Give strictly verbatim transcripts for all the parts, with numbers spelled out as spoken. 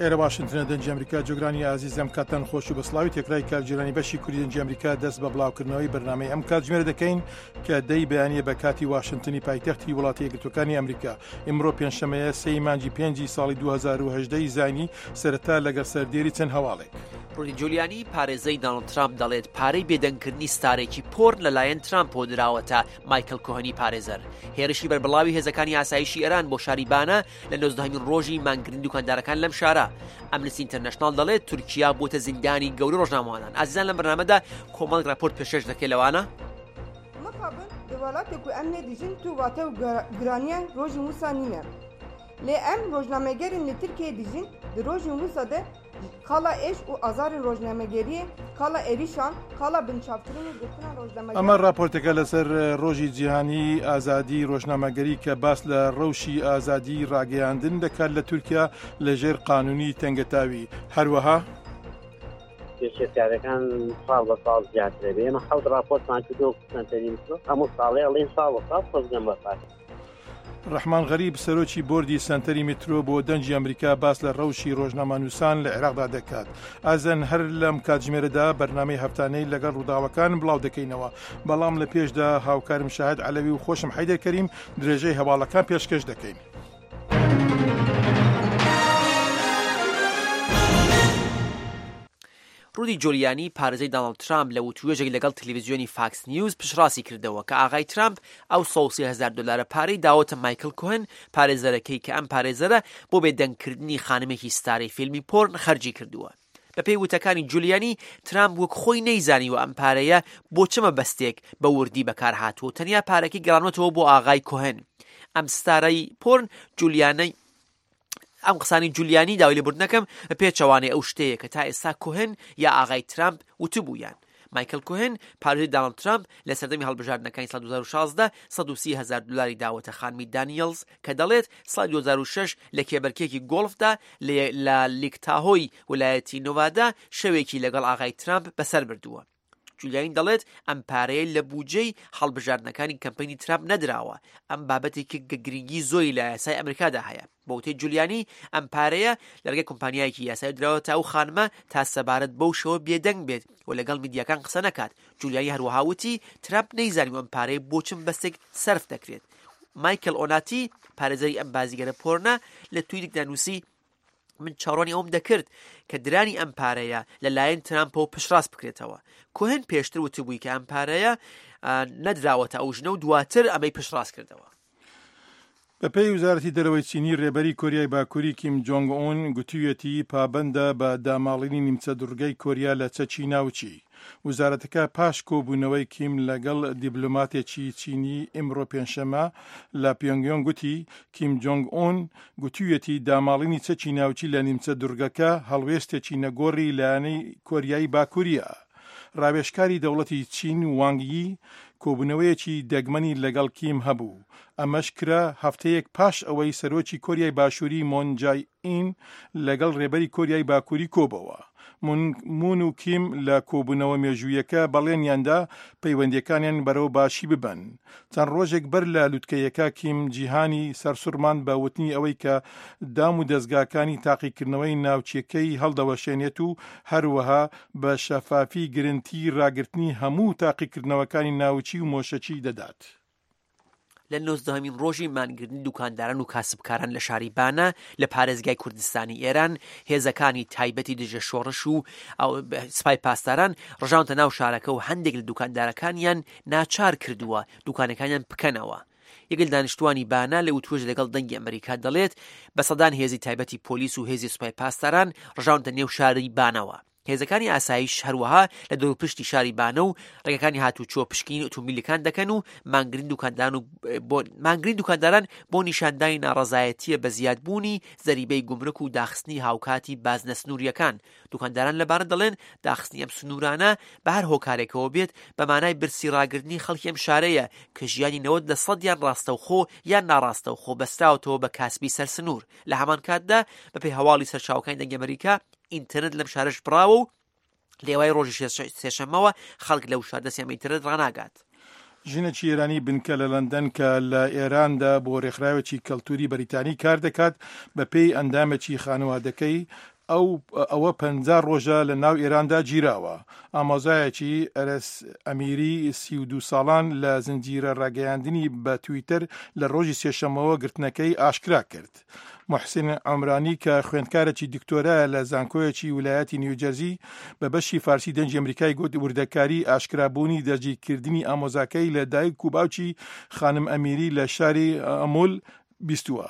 ئێرە واشنتنە، دەنگی ئەمریکا. جۆگرانی ئازیزم، کاتتان خۆش و بەسڵاوی تێکرای کارگێرانی بەشی کوردی دەنگی ئەمریکا دەست بە بڵاوکردنەوەی بەرنامەی ئەم کاتژمێرە دەکەین کە دەی بەیانیە بە کاتی واشنتنی پایتەختی وڵاتی یەکگرتووەکانی ئەمریکا. ئیمڕۆ پێنجشەمەیە، سێی مانگی پێنجی ساڵی دوو هەزار و هەژدە زایینی. سەرەتا لەگەڵ سەردێری چەند هەواڵێک. ڕودی جولیانی، پارێزەی دانڵد ترامپ، دەڵێت پارەی بێدەنگکردنی ستارێکی پۆرن لەلایەن ترامپەوە دراوەتە مایکل کۆهنی پارێزەر. هێرشی بەربڵاوی هێزەکانی ئاسایشی ئێران بۆ شاری بانە لە نۆزدەهەمین ڕۆژی مانگرتنی دوکاندارەکان لەم شارە. ئەمنستی ئینتەرناشناڵ دەڵێت تورکیا بۆتە زیندانی گەورە ڕۆژنامەوانان. ئازیزان، لەم بەرنامەدا کۆمەڵێک راپۆرت پێشکەش دەکەین، لەوانە Mixabin di welatê ku em lê dijîn tu wate û giraniya rojên wisa nîne. Lê em rojnamegerên li Tirkiyeyê dijîn di rojên wisa de qala êş û azarên rojnamegeriyê, qala êrişan, qala binçavkirin û girtina rojnamegeran ئەمە راپۆرتەکە لەسەر ڕۆژی جیهانی ئازادی ڕۆژنامەگەری کە باس لە ڕەوشی ئازادی ڕاگەیاندن دەکات لە تورکیا لەژێر قانونی تەنگەتاوی. هەروەها پێشێلکاریەکان ساڵ بە ساڵ زیاترە بێ. ئێمە حەوت راپۆرتمان کردو سەنتەری هەموو ساڵێ ئەڵێن ساڵ بە ساڵ خۆزگەم بە پارە. ڕەحمان غەریب، سەرۆکی بۆردی سەنتەری میترۆ، بۆ دەنگی ئەمریکا باس لە ڕەوشی ڕۆژنامەنووسان لە عێراقدا دەکات. ئازیزان، هەر لەم کاتژمێرەدا بەرنامەی هەفتانەی لەگەڵ ڕووداوەکان بڵاو دەکەینەوە، بەڵام لە پێشدا هاوکارم شاهد عەلەوی و خۆشم حەیدەر کەریم درێژەی هەواڵەکان پێشکەش دەکەین. ڕودی جولیانی، پارێزەری دانڵد ترامپ، لە وتوێژێک لەگەڵ تەلەڤیزیۆنی فاکس نیوز پشتڕاستی کردەوە کە ئاغای ترامپ ئەو سەد و سی هەزار دلارە پارەی داوەتە مایکل کوهن، پارێزەرەکەی، کە ئەم پارێزەرە بۆ بێدەنگکردنی خانمێکی ستارەی فیلمی پۆرن خەرجی کردووە. بەپێی وتەکانی جولیانی، ترامپ وەک خۆی نەیزانیوە ئەم پارەیە بۆ چ مەبەستێک بە وردی بەکار هاتووە و تەنیا پارەکەی گەڕانوەتەوە بۆ ئاغای کوهن، ئەم ستارەی پۆرن. جولیانەی ئەم قسانی جولیانی، داوای لێبوردنەکەم، بە پێچەوانەی ئەو شتەیە کە تا ئێستا کوهن یا ئاغای ترامپ وتبوویان. مایکل کوهن، پارێزەری دانڵد ترامپ، لە سەردەمی هەڵبژاردنەکانی ساڵ دوو هەزار و شازدە سەد و سی هەزار دلاری داوەتە خانمی دانیلز کە دەڵێت ساڵی دوو هەزار و شەش لە کێبەرکێکی گۆڵفدا لە لیک تاهۆی ویلایەتی نۆڤادا شەوێکی لەگەڵ ئاغای ترامپ بەسەر بردووە. جولیانی دەڵێت ئەم پارەیە لە بودجەی هەڵبژاردنەکانی کەمپەینی ترامپ نەدراوە. ئەم بابەتێکی گرنگی زۆری لە یاسای ئەمریکادا هەیە. بە وتەی جولیانی، ئەم پارەیە لە ڕێگەی کۆمپانیایەکی یاسایی دراوەتە ئەو خانمە تا سەبارەت بەو شەوە بێدەنگ بێت و لەگەڵ میدیاکان قسە نەکات. جولیانی هەروەها وتی ترامپ نەیزانی ئەم پارەیە بۆ چ مەبەستێک سەرف دەکرێت. مایکل ئۆناتی، پارێزەری ئەم بازیگەرە پۆرنە، لە تویتێکدا نووسی: من چاوەڕوانی ئەوم دەکرد کە درانی ئەم پارەیە لەلایەن ترامپەوە پشتڕاست بکرێتەوە. کوهن پێشتر وتبووی کە ئەم پارەیە نەدراوەتە ئەو ژنە و دواتر ئەمەی پشتڕاست کردەوە. بەپێی وەزارەتی دەرەوەی چینی، ڕێبەری کۆریای باکووری کیم جۆنگ ئون گوتوویەتی پابەندە بە داماڵینی نیمچە دوڕگەی کۆریا لە چەکی ناوچی. وەزارەتەکە پاش کۆبوونەوەی کیم لەگەڵ دیبلۆماتێکی چینی ئیمڕۆ پێنجشەمە لە پیۆنگیۆنگ گوتی کیم جۆنگ ئون گوتوویەتی داماڵینی چەکی ناوچی لە نیمچە دوڕگەکە هەڵوێستێکی نەگۆڕی لایەنەی کۆریای باکووریە. ڕاوێژکاری دەوڵەتی چین وانگ یی کۆبوونەوەیەکی دەگمەنی لەگەڵ کیم هەبوو. ئەمەش کرا هەفتەیەک پاش ئەوەی سەرۆکی کۆریای باشووری مون جای ئین لەگەڵ ڕێبەری کۆریای باکووری کۆبەوە. مون و کیم لە کۆبوونەوە مێژوویەکە بەڵێنیاندا پەیوەندیەکانیان بەرەو باشی ببەن. چەند ڕۆژێک بەر لە لوتکەیەکە کیم جیهانی سەرسوڕماند بە وتنی ئەوەی کە دام و دەستگاکانی تاقیکردنەوەی ناوچەکەی هەڵدەوەشێنێت و هەروەها بە شەفافی گرنتی ڕاگرتنی هەموو تاقیکردنەوەکانی ناوچی و مۆشەکی دەدات. لە نۆزدەهەمین ڕۆژی مانگرتنی دوکانداران و کاسبکاران لە شاری بانە لە پارێزگای کوردستانی ئێران، هێزەکانی تایبەتی دژە شۆڕش و سپای پاسداران ڕژاونەتە ناو شارەکە و هەندێک لە دوکاندارەکانیان ناچار کردووە دوکانەکانیان بکەنەوە. یەک لە دانیشتوانی بانە لە وتوێژ لەگەڵ دەنگی ئەمریکا دەڵێت بە سەدان هێزی تایبەتی پۆلیس و هێزی سوپای پاسداران ڕژاونەتە نێو شاری بانەوە. هێزەکانی ئاسایش هەروەها لە دەوروپشتی شاری بانە و ڕێگەکانی هاتوچۆ پشکنینی ئۆتۆمبیلەکان دەکەن و مانگرتنی دوکاندان و بۆ مانگرتنی دوکانداران بۆ نیشاندانی ناڕەزایەتیە بە زیادبوونی زەریبەی گومرک و داخستنی هاوکاتی بازنە سنووریەکان. دوکانداران لە بانە دەڵێن داخستنی ئەم سنوورانە بە هەر هۆکارێکەوە بێت بە مانای برسی ڕاگرتنی خەڵکی ئەم شارەیە کە ژیانی نەوەد لە سەدیان ڕاستەوخۆ یان ناڕاستەوخۆ بەستراوەتەوە بە کاسبی سەر سنوور. لە هەمان کاتدا، بەپێی هەواڵی سەرچاوەکانی دەنگی ئەمریکا، ئینتەرنێت لەم شارەش بڕاوە و لە ئێوارەی ڕۆژی سێشەممەوە خەڵک لەو شار دەستیان بە ئینتەرنێت ڕاناگات. ژنێکی ئێرانی بنکە لە لەندەن کە لە ئێراندا بۆ ڕێکخراوێکی کەلتوری بەریتانی کار دەکات، بەپێی ئەندامێکی خانەوادەکەی ئەو ئەوە پەنجا ڕۆژە لە ناو ئێراندا گیراوە. ئامۆزایەکی ئەرەس ئەمیری سی و دوو ساڵان لە زنجیرە ڕاگەیاندنی بە تویتەر لە ڕۆژی سێشەمەوە گرتنەکەی ئاشکرا کرد. محسن عمرانی کە خوێندکارێکی دکتۆرایە لە زانکۆیەکی ویلایەتی نیوجەرزی بە بەشی فارسی دەنگی ئەمریکای گوت وردەکاری ئاشکرابوونی دەستگیرکردنی ئامۆزاکەی لە دایک و باوکی خانم ئەمیری لە شاری ئەمول بیستووە.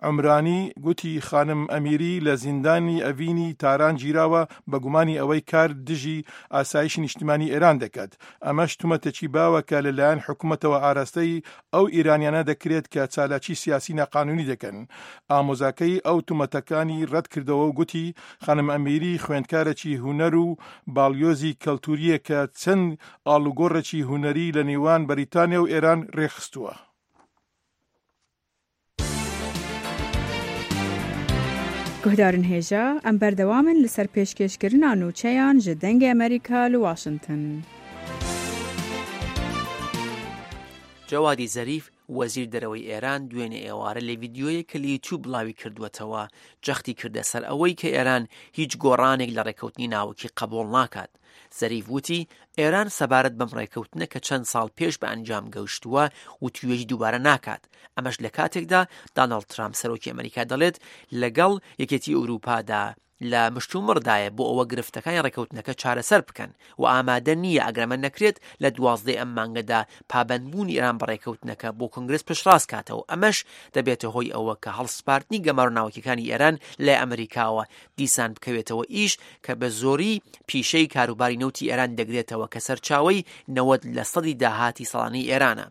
عمرانی گوتی خانم ئەمیری لە زیندانی ئەڤینی تاران گیراوە بە گومانی ئەوەی کار دژی ئاسایشی نیشتمانی ئێران دەکات. ئەمەش تومەتێکی باوە کە لەلایەن حکوومەتەوە ئاراستەی ئەو ئێرانیانە دەکرێت کە چالاکی سیاسی ناقانونی دەکەن. ئامۆزاکەی ئەو تومەتەکانی ڕەت کردەوە و گوتی خانم ئەمیری خوێندکارێکی هونەر و باڵیۆزی کەلتوریە کە چەند ئاڵوگۆڕێکی هونەری لە نێوان بەریتانیا و ئێران ڕێکخستووە. گوهدارن هێژا ئەم بەردەوامن لەسەر پێشکێشکردنا نوچەیان ji دەنگê ئەمریکا li واشنگتن. جەوادی زەریف وەزیر دەرەوەی ئێران دوێنێ ئێوارە لە ڤیدیۆیەک کە لە یوتیوب بڵاوی کردووەتەوە جەختی کردە سەر ئەوەی کە ئێران هیچ گۆڕانێک لە ڕێککەوتنی ناوەکی قبوڵ ناکات. زەریف وتی ئێران سەبارەت بەم ڕێککەوتنە کە چەند ساڵ پێش بە ئەنجام گەیشتووە وتوێژی دووبارە ناکات. ئەمەش لە کاتێکدا داناڵد ترامپ سەرۆکی ئەمریکا دەڵێت لەگەڵ یەکێتی ئەوروپادا لە مشتومڕدایە بۆ ئەوە گرفتەکانی ڕێککەوتنەکە چارەسەر بکەن و ئامادە نییە ئەگەرمە نەکرێت لە دوازدەی ئەم مانگەدا پابەندبوونی ئێران بە ڕێککەوتنەکە بۆ کۆنگرس پشتڕاست کاتەوە. ئەمەش دەبێتە هۆی ئەوە کە هەڵسپاردنی گەمارۆ ناوەکیەکانی ئێران لە ئەمریکاوە دیسان بکەوێتەوە ئیش کە بە زۆری پیشەی کاروباری نەوتی ئێران دەگرێتەوە کە سەرچاوەی نەوەد لە سەدی داهاتی ساڵانەی ئێرانە.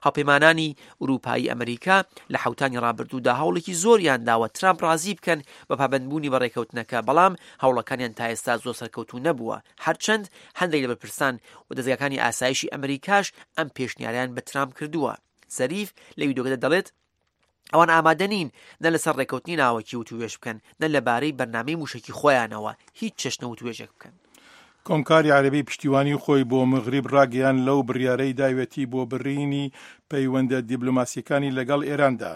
هاوپەیمانانی ئوروپایی ئەمریکا لە حوتانی ڕابردوودا هەوڵێکی زۆریان داوە ترامپ ڕازی بکەن بە پابەندبوونی بە ڕێککەوتنەکە، بەڵام هەوڵەکانیان تا ئێستا زۆر سەرکەوتوو نەبووە. هەرچەند هەندێک لە بەرپرسان و دەزگاکانی ئاسایشی ئەمریکاش ئەم پێشنیاریان بە ترامپ کردووە. زەریف لە ویدیۆکەدا دەڵێت ئەوان ئامادە نین نە لەسەر ڕێککەوتنی ناوەکی وتوێژ بکەن نە لەبارەی بەرنامەی موشەکی خۆیانەوە هیچ چەشنە وتوێژێک بکەن. کۆمکاری عەرەبی پشتیوانی خۆی بۆ مغریب ڕاگەیان لەو بڕیارەی داوێتی بۆ بڕینی پەیوەندە دیبلۆماسیەکانی لەگەڵ ئێراندا.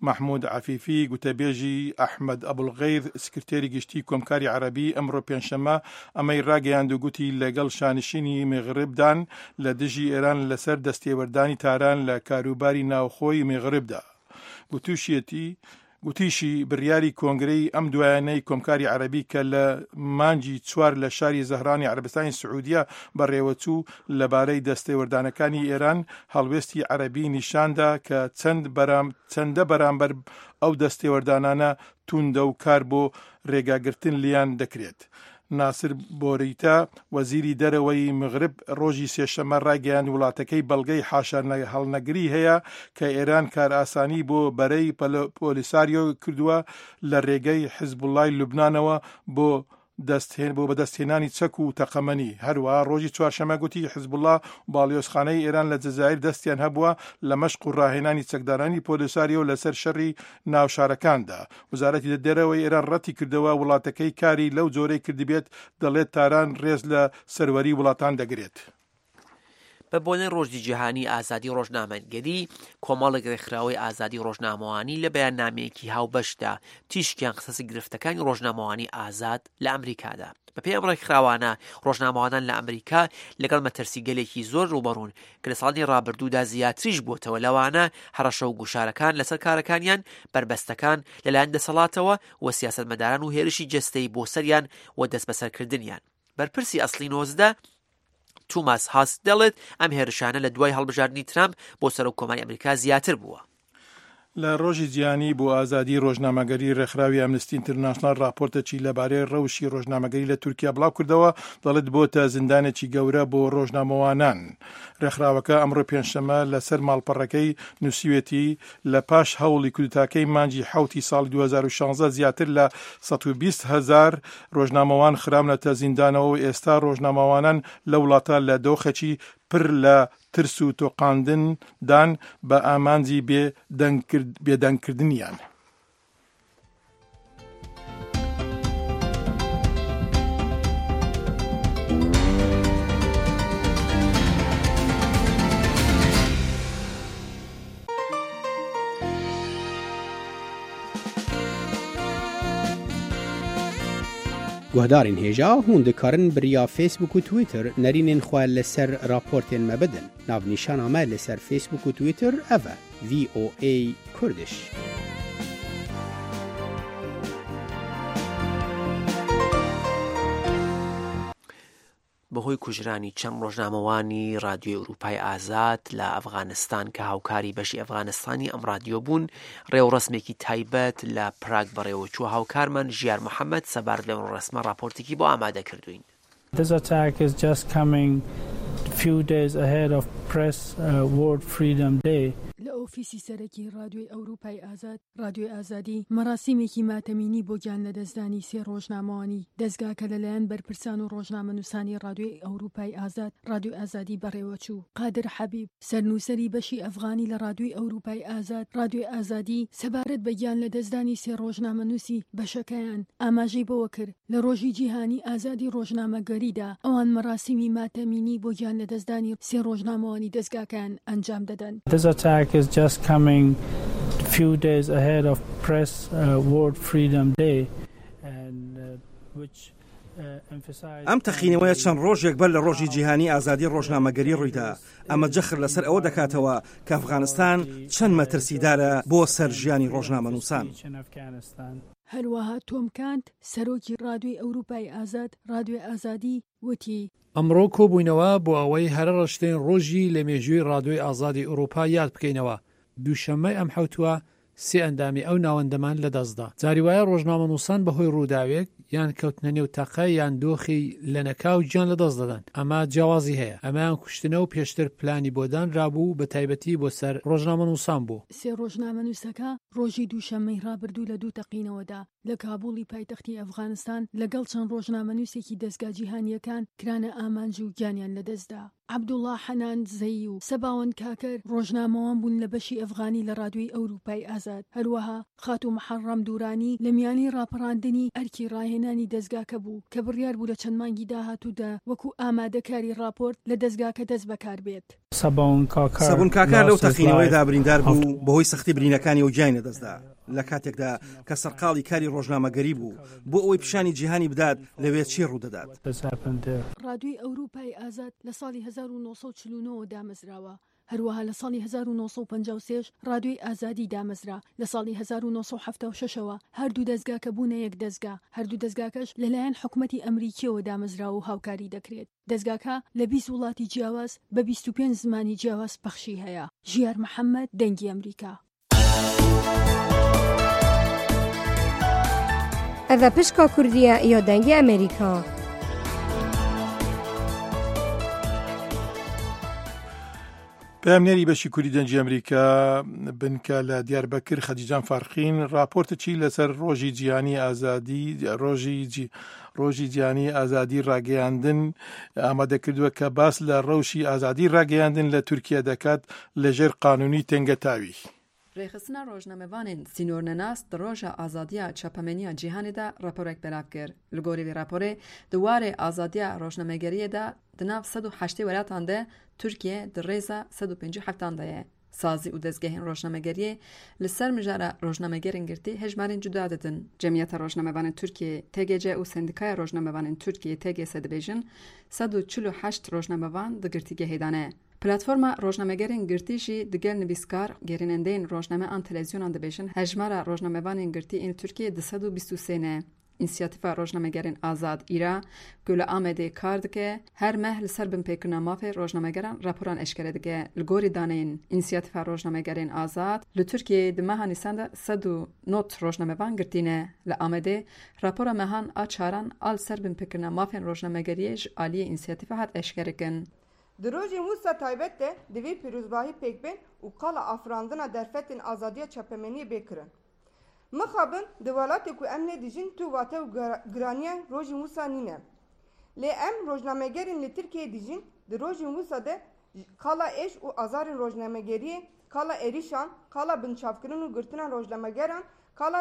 محمود عەفیفی گوتەبێژی ئەحمەد ئەبولغەیث سکرتێری گشتی کۆمکاری عەرەبی ئەمڕۆ پێنجشەممە ئەمەی ڕاگەیاند و گوتی لەگەڵ شانشینی مغربدان لە دژی ئێران لەسەر دەستێوەردانی تاران لە کاروباری ناوخۆی مغربدا. گوتوشیەتی گوتیشی بڕیاری کۆنگرەی ئەم دوایانەی کۆمکاری عەرەبی کە لە مانگی چوار لە شاری زەهرانی عەرەبستانی سعودیە بەڕێوەچوو لەبارەی دەستێوەردانەکانی ئێران هەڵوێستی عەرەبی نیشاندا کە چەند بەرام چەندە بەرامبەر ئەو دەستێوەردانانە توندە و کار بۆ ڕێگاگرتن لیان دەکرێت. ناسر بۆریتا وەزیری دەرەوەی مغرب ڕۆژی سێشەممە ڕایگەیاند وڵاتەکەی بەڵگەی حاشا هەڵنەگری هەیە کە ئێران کارئاسانی بۆ بەرەی پۆلیساریۆ کردووە لە ڕێگەی حیزبوڵای لوبنانەوە بۆ دەستهێن بۆ بەدەستهێنانی چەک و تەقەمەنی. هەروەها ڕۆژی چوارشەممە گوتی حیزبوڵا و باڵیۆزخانەی ئێران لە جەزائیر دەستیان هەبووە لە مەشق و ڕاهێنانی چەکدارانی پۆلیساریۆ لەسەر شەڕی ناو شارەکاندا. وەزارەتی دەرەوەی ئێران ڕەتی کردەوە وڵاتەکەی کاری لەو جۆرەی کردبێت، دەڵێت تاران ڕێز لە سەروەری وڵاتان دەگرێت. بە بۆنەی ڕۆژی جیهانی ئازادی ڕۆژنامەگەری، کۆمەڵێک ڕێکخراوەی ئازادی ڕۆژنامەوانی لە بەیاننامەیەکی هاوبەشدا تیشکیان خستە گرفتەکانی ڕۆژنامەوانی ئازاد لە ئەمریکادا. بەپێی ئەم ڕێکخراوانە ڕۆژنامەوانان لە ئەمریکا لەگەڵ مەترسیگەلێکی زۆر ڕووبەڕوون کە لە ساڵانی ڕابردوودا زیاتریش بووەتەوە، لەوانە هەڕەشە و گوشارەکان لەسەر کارەکانیان، بەربەستەکان لەلایەن دەسەڵاتەوە و سیاسەتمەداران و هێرشی جەستەیی بۆ سەریان و دەستبەسەرکردنیان. بەرپرسی ئەسڵی نۆزدە توماس هاس دەڵێت ئەم هێرشانە لە دوای هەڵبژاردنی ترامپ بۆ سەرۆک کۆماری ئەمریکا زیاتر بووە. لە ڕۆژی جیهانی بۆ ئازادی ڕۆژنامەگەری ڕێکخراوی ئەمنستی ئینتەرناشناڵ راپۆرتێکی لەبارەی ڕەوشی ڕۆژنامەگەری لە تورکیا بڵاو کردەوە، دەڵێت بۆتە زیندانێکی گەورە بۆ ڕۆژنامەوانان. ڕێکخراوەکە ئەمڕۆ پێنجشەممە لەسەر ماڵپەڕەکەی نووسیوێتی لە پاش هەوڵی کودتاکەی مانگی حەوتی ساڵی دوو هەزار و شازدە زیاتر لە سەد و بیست هەزار ڕۆژنامەوان خراونەتە زیندانەوە و ئێستا ڕۆژنامەوانان لە وڵاتە لە دۆخێکی پر لە ترس و تۆقاندن دان بە ئامانجی بێدەنگکردنیان. Guhdarên hêja hûn dikarin bi riya Facebook û Twitter nerînên xwe li ser raportên me bidin. Navnîşana me li ser Facebook û Twitter ev e: V O A Kurdish. بەهۆی کوژرانی چەند ڕۆژنامەوانی ڕادیۆی ئەوروپای ئازاد لە ئەفغانستان کە هاوکاری بەشی ئەفغانستانی ئەم ڕادیۆ بوون، ڕێوڕەسمێکی تایبەت لە پراگ بەڕێوەچووە. هاوکارمان ژیار محەممەد سەبارەت بەم ڕێوڕەسمە ڕاپۆرتێکی بۆ ئامادە کردوین. This attack is just coming few days ahead of Press uh, World Freedom Day. لە ئۆفیسی سەرەکی ڕادیۆی ئەوروپای ئازاد، ڕادیۆی ئازادی، مەراسیمێکی ماتەمینی بۆ گیان لەدەستدانی سێ ڕۆژنامەوانی دەزگاکە لەلایەن بەرپرسان و ڕۆژنامەنووسانی ڕادیۆی ئەوروپای ئازاد، ڕادیۆی ئازادی بەڕێوەچوو. قادر حەبیب، سەرنووسەری بەشی ئەفغانی لە ڕادیۆی ئەوروپای ئازاد، ڕادیۆی ئازادی، سەبارەت بە گیان لەدەستدانی سێ ڕۆژنامەنووسی بەشەکەیان ئاماژەی بەوە کرد، لە ڕۆژی جیهانی ئازادی ڕۆژنامەگەریدا ئەوان مەراسیمی ماتەمینی بۆ گیان لەدەستدانی سێ ڕۆژنامەوانی دەزگاکەیان ئەنجام دەدەن. This attack is just coming few days ahead of Press uh, World Freedom Day and uh, which ئەم تەقینەوەیە چەند ڕۆژێک بەر لە ڕۆژی جیهانی ئازادی ڕۆژنامەگەری ڕوویدا. ئەمە جەخت لەسەر ئەوە دەکاتەوە کە ئەفغانستان چەند مەترسیدارە بۆ سەر ژیانی ڕۆژنامەنووسان. هەروەها تۆم کانت، سەرۆکی ڕادیۆی ئەوروپای ئازاد، ڕادیۆی ئازادی، وتی: ئەمڕۆ کۆبووینەوە بۆ ئەوەی هەرە ڕەشترین ڕۆژی لە مێژووی ڕادیۆی ئازادی ئەوروپا یاد بکەینەوە. دووشەممەی ئەم حەوتووە سێ ئەندامی ئەو ناوەندەمان لەدەستدا. جاری وایە ڕۆژنامەنووسان بەهۆی ڕووداوێک یان کەوتنە نێو تەقە یان دۆخی لەنەکاو گیان لەدەست دەدەن. ئەمە جیاوازی هەیە، ئەمەیان کوشتنە و پێشتر پلانی بۆ دانرابوو، بە تایبەتی بۆ سەر ڕۆژنامەنووسان بوو. سێ ڕۆژنامەنووسەکە ڕۆژی دووشەممەی ڕابردوو لە دوو تەقینەوەدا لە کابوڵی پایتەختی ئەفغانستان لەگەڵ چەند ڕۆژنامەنووسێکی دەزگا جیهانییەکان کرانە ئامانج و گیانیان لەدەستدا. عەبدوڵا حەنان زەیی و سەباوەند کاکەر ڕۆژنامەوان بوون لە بەشی ئەفغانی لە ڕادیۆی ئەوروپای ئازاد. هەروەها خاتوو محەڕەم دورانی لە میانەی ڕاپەڕاندنی ئەرکی ڕاهێنانی دەزگاکە بوو کە بڕیار بوو لە چەند مانگی داهاتوودا وەکو ئامادەکاری ڕاپۆرت لە دەزگاکە دەست بەکار بێت. سەبون کاکار لەو تەقینەوەیەدا بریندار بوو و بەهۆی سەختی برینەکانیەوە گیانی لەدەستدا، لە کاتێکدا کە سەرقاڵی کاری ڕۆژنامەگەری بوو بۆ ئەوەی پیشانی جیهانی بدات لەوێ چی ڕوودەدات. ڕادیۆی ئەوروپای ئازاد لە ساڵی هەزار و نۆ سەد و چل و نۆ وە دامەزراوە، هەروەها لە ساڵی هەزار و نۆ سەد و پەنجا و سێ ش ڕادیۆی ئازادی دامەزرا، لە ساڵی هەزار و نۆ سەد و حەفتا و شەش ەوە هەردوو دەزگاکە بوونە یەک دەزگا، هەردوو دەزگاکەش لەلایەن حکومەتی ئەمریکییەوە دامەزراوە و هاوکاری دەکرێت. دەزگاکە لە بیست وڵاتی جیاواز بە بیست و پێنج زمانی جیاواز پەخشی هەیە. ژیار محەمەد، دەنگی ئەمریکا. ئەڤە پشکا کوردیە یا دەنگی ئەمریکا. پەیامنێری بەشی کوردی دەنگی ئەمریکا بنکە لە دیاربەکر خەدیجان فارقین راپۆرتەکی لەسەر ڕۆژی جیهانی ئازادی ڕۆژی ڕۆژی جیهانی ئازادی ڕاگەیاندن ئامادە کردووە کە باس لە ڕەوشی ئازادی ڕاگەیاندن لە تورکیا دەکات لەژێر قانونی تەنگەتاوی. Rêxistina Rojnamevanên Sînornenas di Roja Azadiya Çapemeniya Cîhanê de raporek belav kir. Li gorî vê raporê di warê azadiya rojnamegeriyê de di nav sed û heştê welatan de Tirkiye di rêza sed û pêncî û heftan de ye. Sazî û dezgehên rojnamegeriyê li ser mijara rojnamegerên girtî hejmarên cuda didin. Cemiyeta Rojnamevanên Tirkiyeyê, T G C, û Sendîkaya Rojnamevanên Tirkiyeyê, T G S, dibêjin sed û çil û heşt rojnamevan di girtîgehê de ne. Platforma Rojnamegerên Girtî jî digel nivîskar, gerînendeyên rojname an televîzyonan dibêjin hejmara rojnamevanên girtî ên li Tirkiyeyê du sed û bîst û sê ne. Însiyatîfa Rojnamegerên Azad, Îra, ku li Amedê kar dike, her meh li ser binpêkirina mafê rojnamegeran raporan eşkere dike. Li gorî daneyên Însiyatîfa Rojnamegerên Azad, li Tirkiyeyê di meha Nîsan de sed û nod rojnamevan girtî ne. Li Amedê rapora mehan a çaran a li ser binpêkirina mafên rojnamegeriyê ji aliyê însiyatîfê hat eşkerekirin. Di rojên wisa taybet de divê pîrozbahî pêk bên û qala afirandina derfetên azadiya çapemeniyê bê kirin. Mixabin di welatê ku em lê dijîn tu wate û giraniya rojên wisa nîne. Lê em rojnamegerên li Tirkiyeyê dijîn di rojên wisa de qala êş û azarên rojnamegeriyê, qala êrîşan, qala binçavkirin û girtina rojnamegeran, qala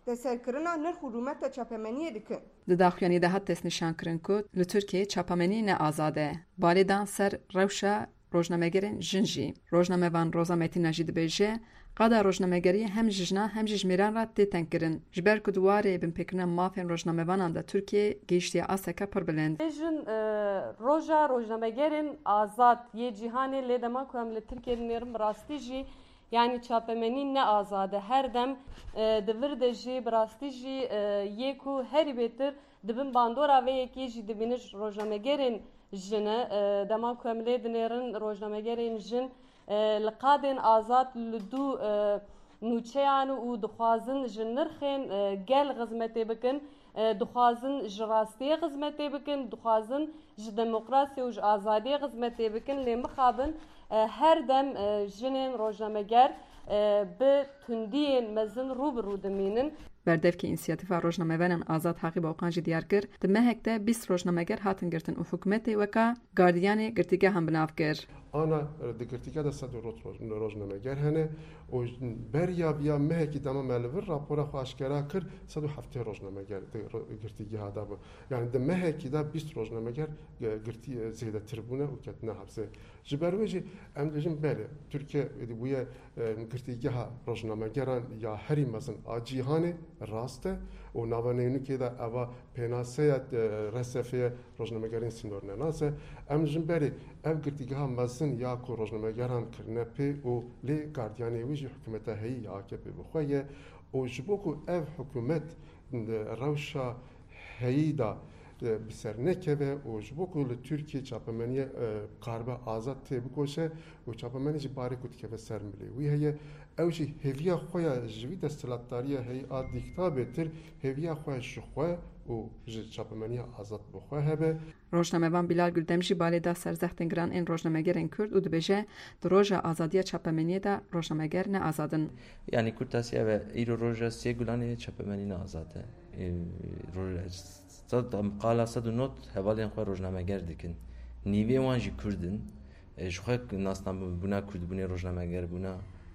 destserkirina nirx û rûmeta çapemeniyê dikin. Di daxuyaniyê de hat destnîşankirin ku li Tirkiyeyê çapemenî ne azad e. Balê dan ser rewşa Rojnamegerên jin jî. Rojnamevan Roza Metîna jî dibêje, qada rojnamegeriyê hem ji jinan hem jî ji mêran re tê tengkirin. Ji ber ku di warê binpêkirina mafên rojnamevanan de Tirkiye gihîştiye asteke pir bilind. Jin roja rojnamegerên azad yê cîhanê lê dema ku em li Tirkiyeyê dinêrin bi rastî jî yani çapemenî ne azad e. Her dem di vir de jî bi rastî jî yê ku herî bêtir dibin bandora vê yekê jî dibînin rojnamegerên jin e. Dema ku em lê dinêrin rojnamegerên jin li qadên azad li dû nûçeyan û dixwazin ji nirxên gel xizmetê bikin, dixwazin ji rastiyê xizmetê bikin, dixwazin ji demokrasî û ji azadiyê xizmetê bikin. Lê mixabin her dem jinên rojnameger bi tundiyên mezin rû bi rû dimînin. Berdevkê Înisiyatîfa Rojnamevanan Azad Haqî Boqan jî diyar kir, di mehek de bîst rojnameger hatin girtin û hikûmetê weka gardiyanê girtîgehan bi nav kir. Ana di girtîgeha de sed rojnameger hene û beriya viya mehekî dema me li vir rapora xwe aşkera kir sed û heftê rojnameger di girtîgeha de bû. Yani di mehekî de bîst rojnameger girtî zêdetir bûne û ketine hepsê. Ji ber wê jî em dibêjin belê Tirkiye êdî bûye girtîgeha rojnamegeran ya herî mezin a cîhanê rast e û nava nênûkê de eva pênaseya R S F'ye rojnamegerên sînornenas e. Em jin berê ev girtîgeha mezin ya ku rojnamegeran kirine pê û lê gardiyanê wî jî hikûmeta heyî ya A K P bi xwe ye û ji bo ku ev hikûmet rewşa heyî da bi ser nekeve û ji bo ku li Tirkiye çapemeniye karibe azad tê bikoşe û çapemenî jî barê ku dikeve ser milê wî heye ew jî hêviya xwe ya ji wî desthilatdariya heyî a dîkta bêtir hêviya xwe ji xwe û ji çapemeniya azad bi xwe hebe. Rojnamevan Bilal Güldem jî balê da ser zextên giran ên rojnamegerên Kurd û dibêje di roja azadiya çapemeniyê de rojnameger ne azad in. Yani kurtasi ev îro roja sê gulanê çapemenî ne azad e. Qala sed û not hevalên xwe rojnameger dikin. Nîvê wan jî Kurd in. Ji xwe nasname Kurdbûnê rojnameger bûna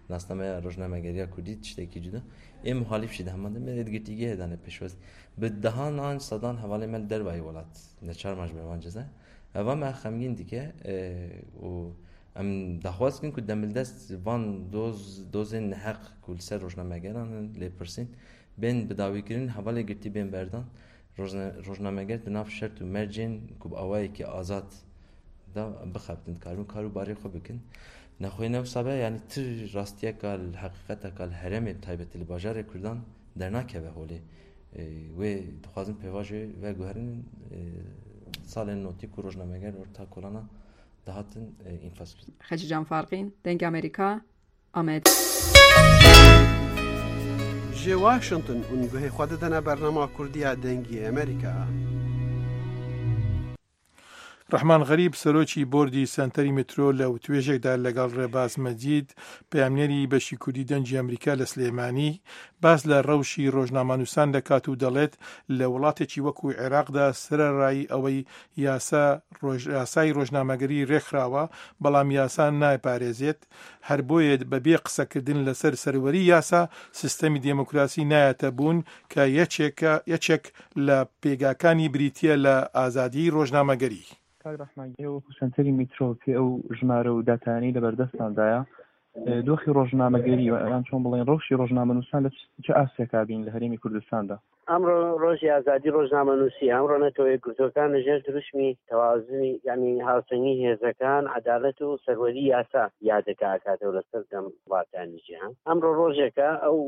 nasnameya rojnamegeriya Kurdî tiştekî cuda. Ê muhalîf jî di heman demê de girtîgehê dane pêşwaz. Bi dehan an sedan hevalên me li dervayî welat neçar man ji ber wan ceza. Eva me xemgîn dike û em daxwaz dikin ku demildest van doz dozên neheq ku li ser rojnamegeran in lêpirsîn bên bidawîkirin hevalê girtî bên berdan. Rojnameger di nav şert û mercên ku bi awayekî azad da bixebitin dikarin kar û barê xwe bikin. Nexwe ne wisa be yani ti rastiyeka li heqîqeteka li herêmê bi taybetî li bajarê Kurdan dernakeve holê. Wê dixwazin pêvajoyê veguherin salên notî ku rojnameger orta kolana dihatin înfaz kirin. Xecî Can Farqîn, Dengê Amerîka, Amed. Ji Washington hûn guhê xwe didine bernama Kurdiya Dengê Amerîka. ڕەحمان غەریب سەرۆکی بۆردی سەنتەری مترۆ لە وتوێژێکدا لەگەڵ ڕێباز مەجید پەیامنێری بەشی کوردی دەنگی ئەمریکا لە سلێمانی باس لە ڕەوشی ڕۆژنامەنووسان دەکات و دەڵێت لە وڵاتێکی وەکو عێراقدا سەرەڕای ئەوەی یاسا یاسای ڕۆژنامەگەری ڕێکخراوە بەڵام یاسا نایپارێزێت، هەر بۆیە بەبێ قسەکردن لەسەر سەروەری یاسا سیستەمی دێموکراسی نایەتە بوون کە یەکێک لە پێگاکانی بریتیە لە ئازادی ڕۆژنامەگەری. کاک ڕەحمان، وەکو سەنتەری میترۆ پێ ئەو ژمارە و داتایانەی لەبەردەستاندایە دۆخی ڕۆژنامەگەری یان چۆن بڵێن ڕەوشی ڕۆژنامەنووسان لە چ ئاستێکا بین لە هەرێمی کوردستاندا؟ ئەمڕۆ ڕۆژی ئازادی ڕۆژنامەنووسی، ئەمڕۆ نەتەوە یەکگرتووەکان لەژێر دروشمی تەوازنی یعنی هاوسەنگی هێزەکان، عەدالەت و سەروەری یاسا یادەکە ئاکاتەوە لەسەر دەم وڵاتانی جیهان. ئەمڕۆ ڕۆژێکە ئەو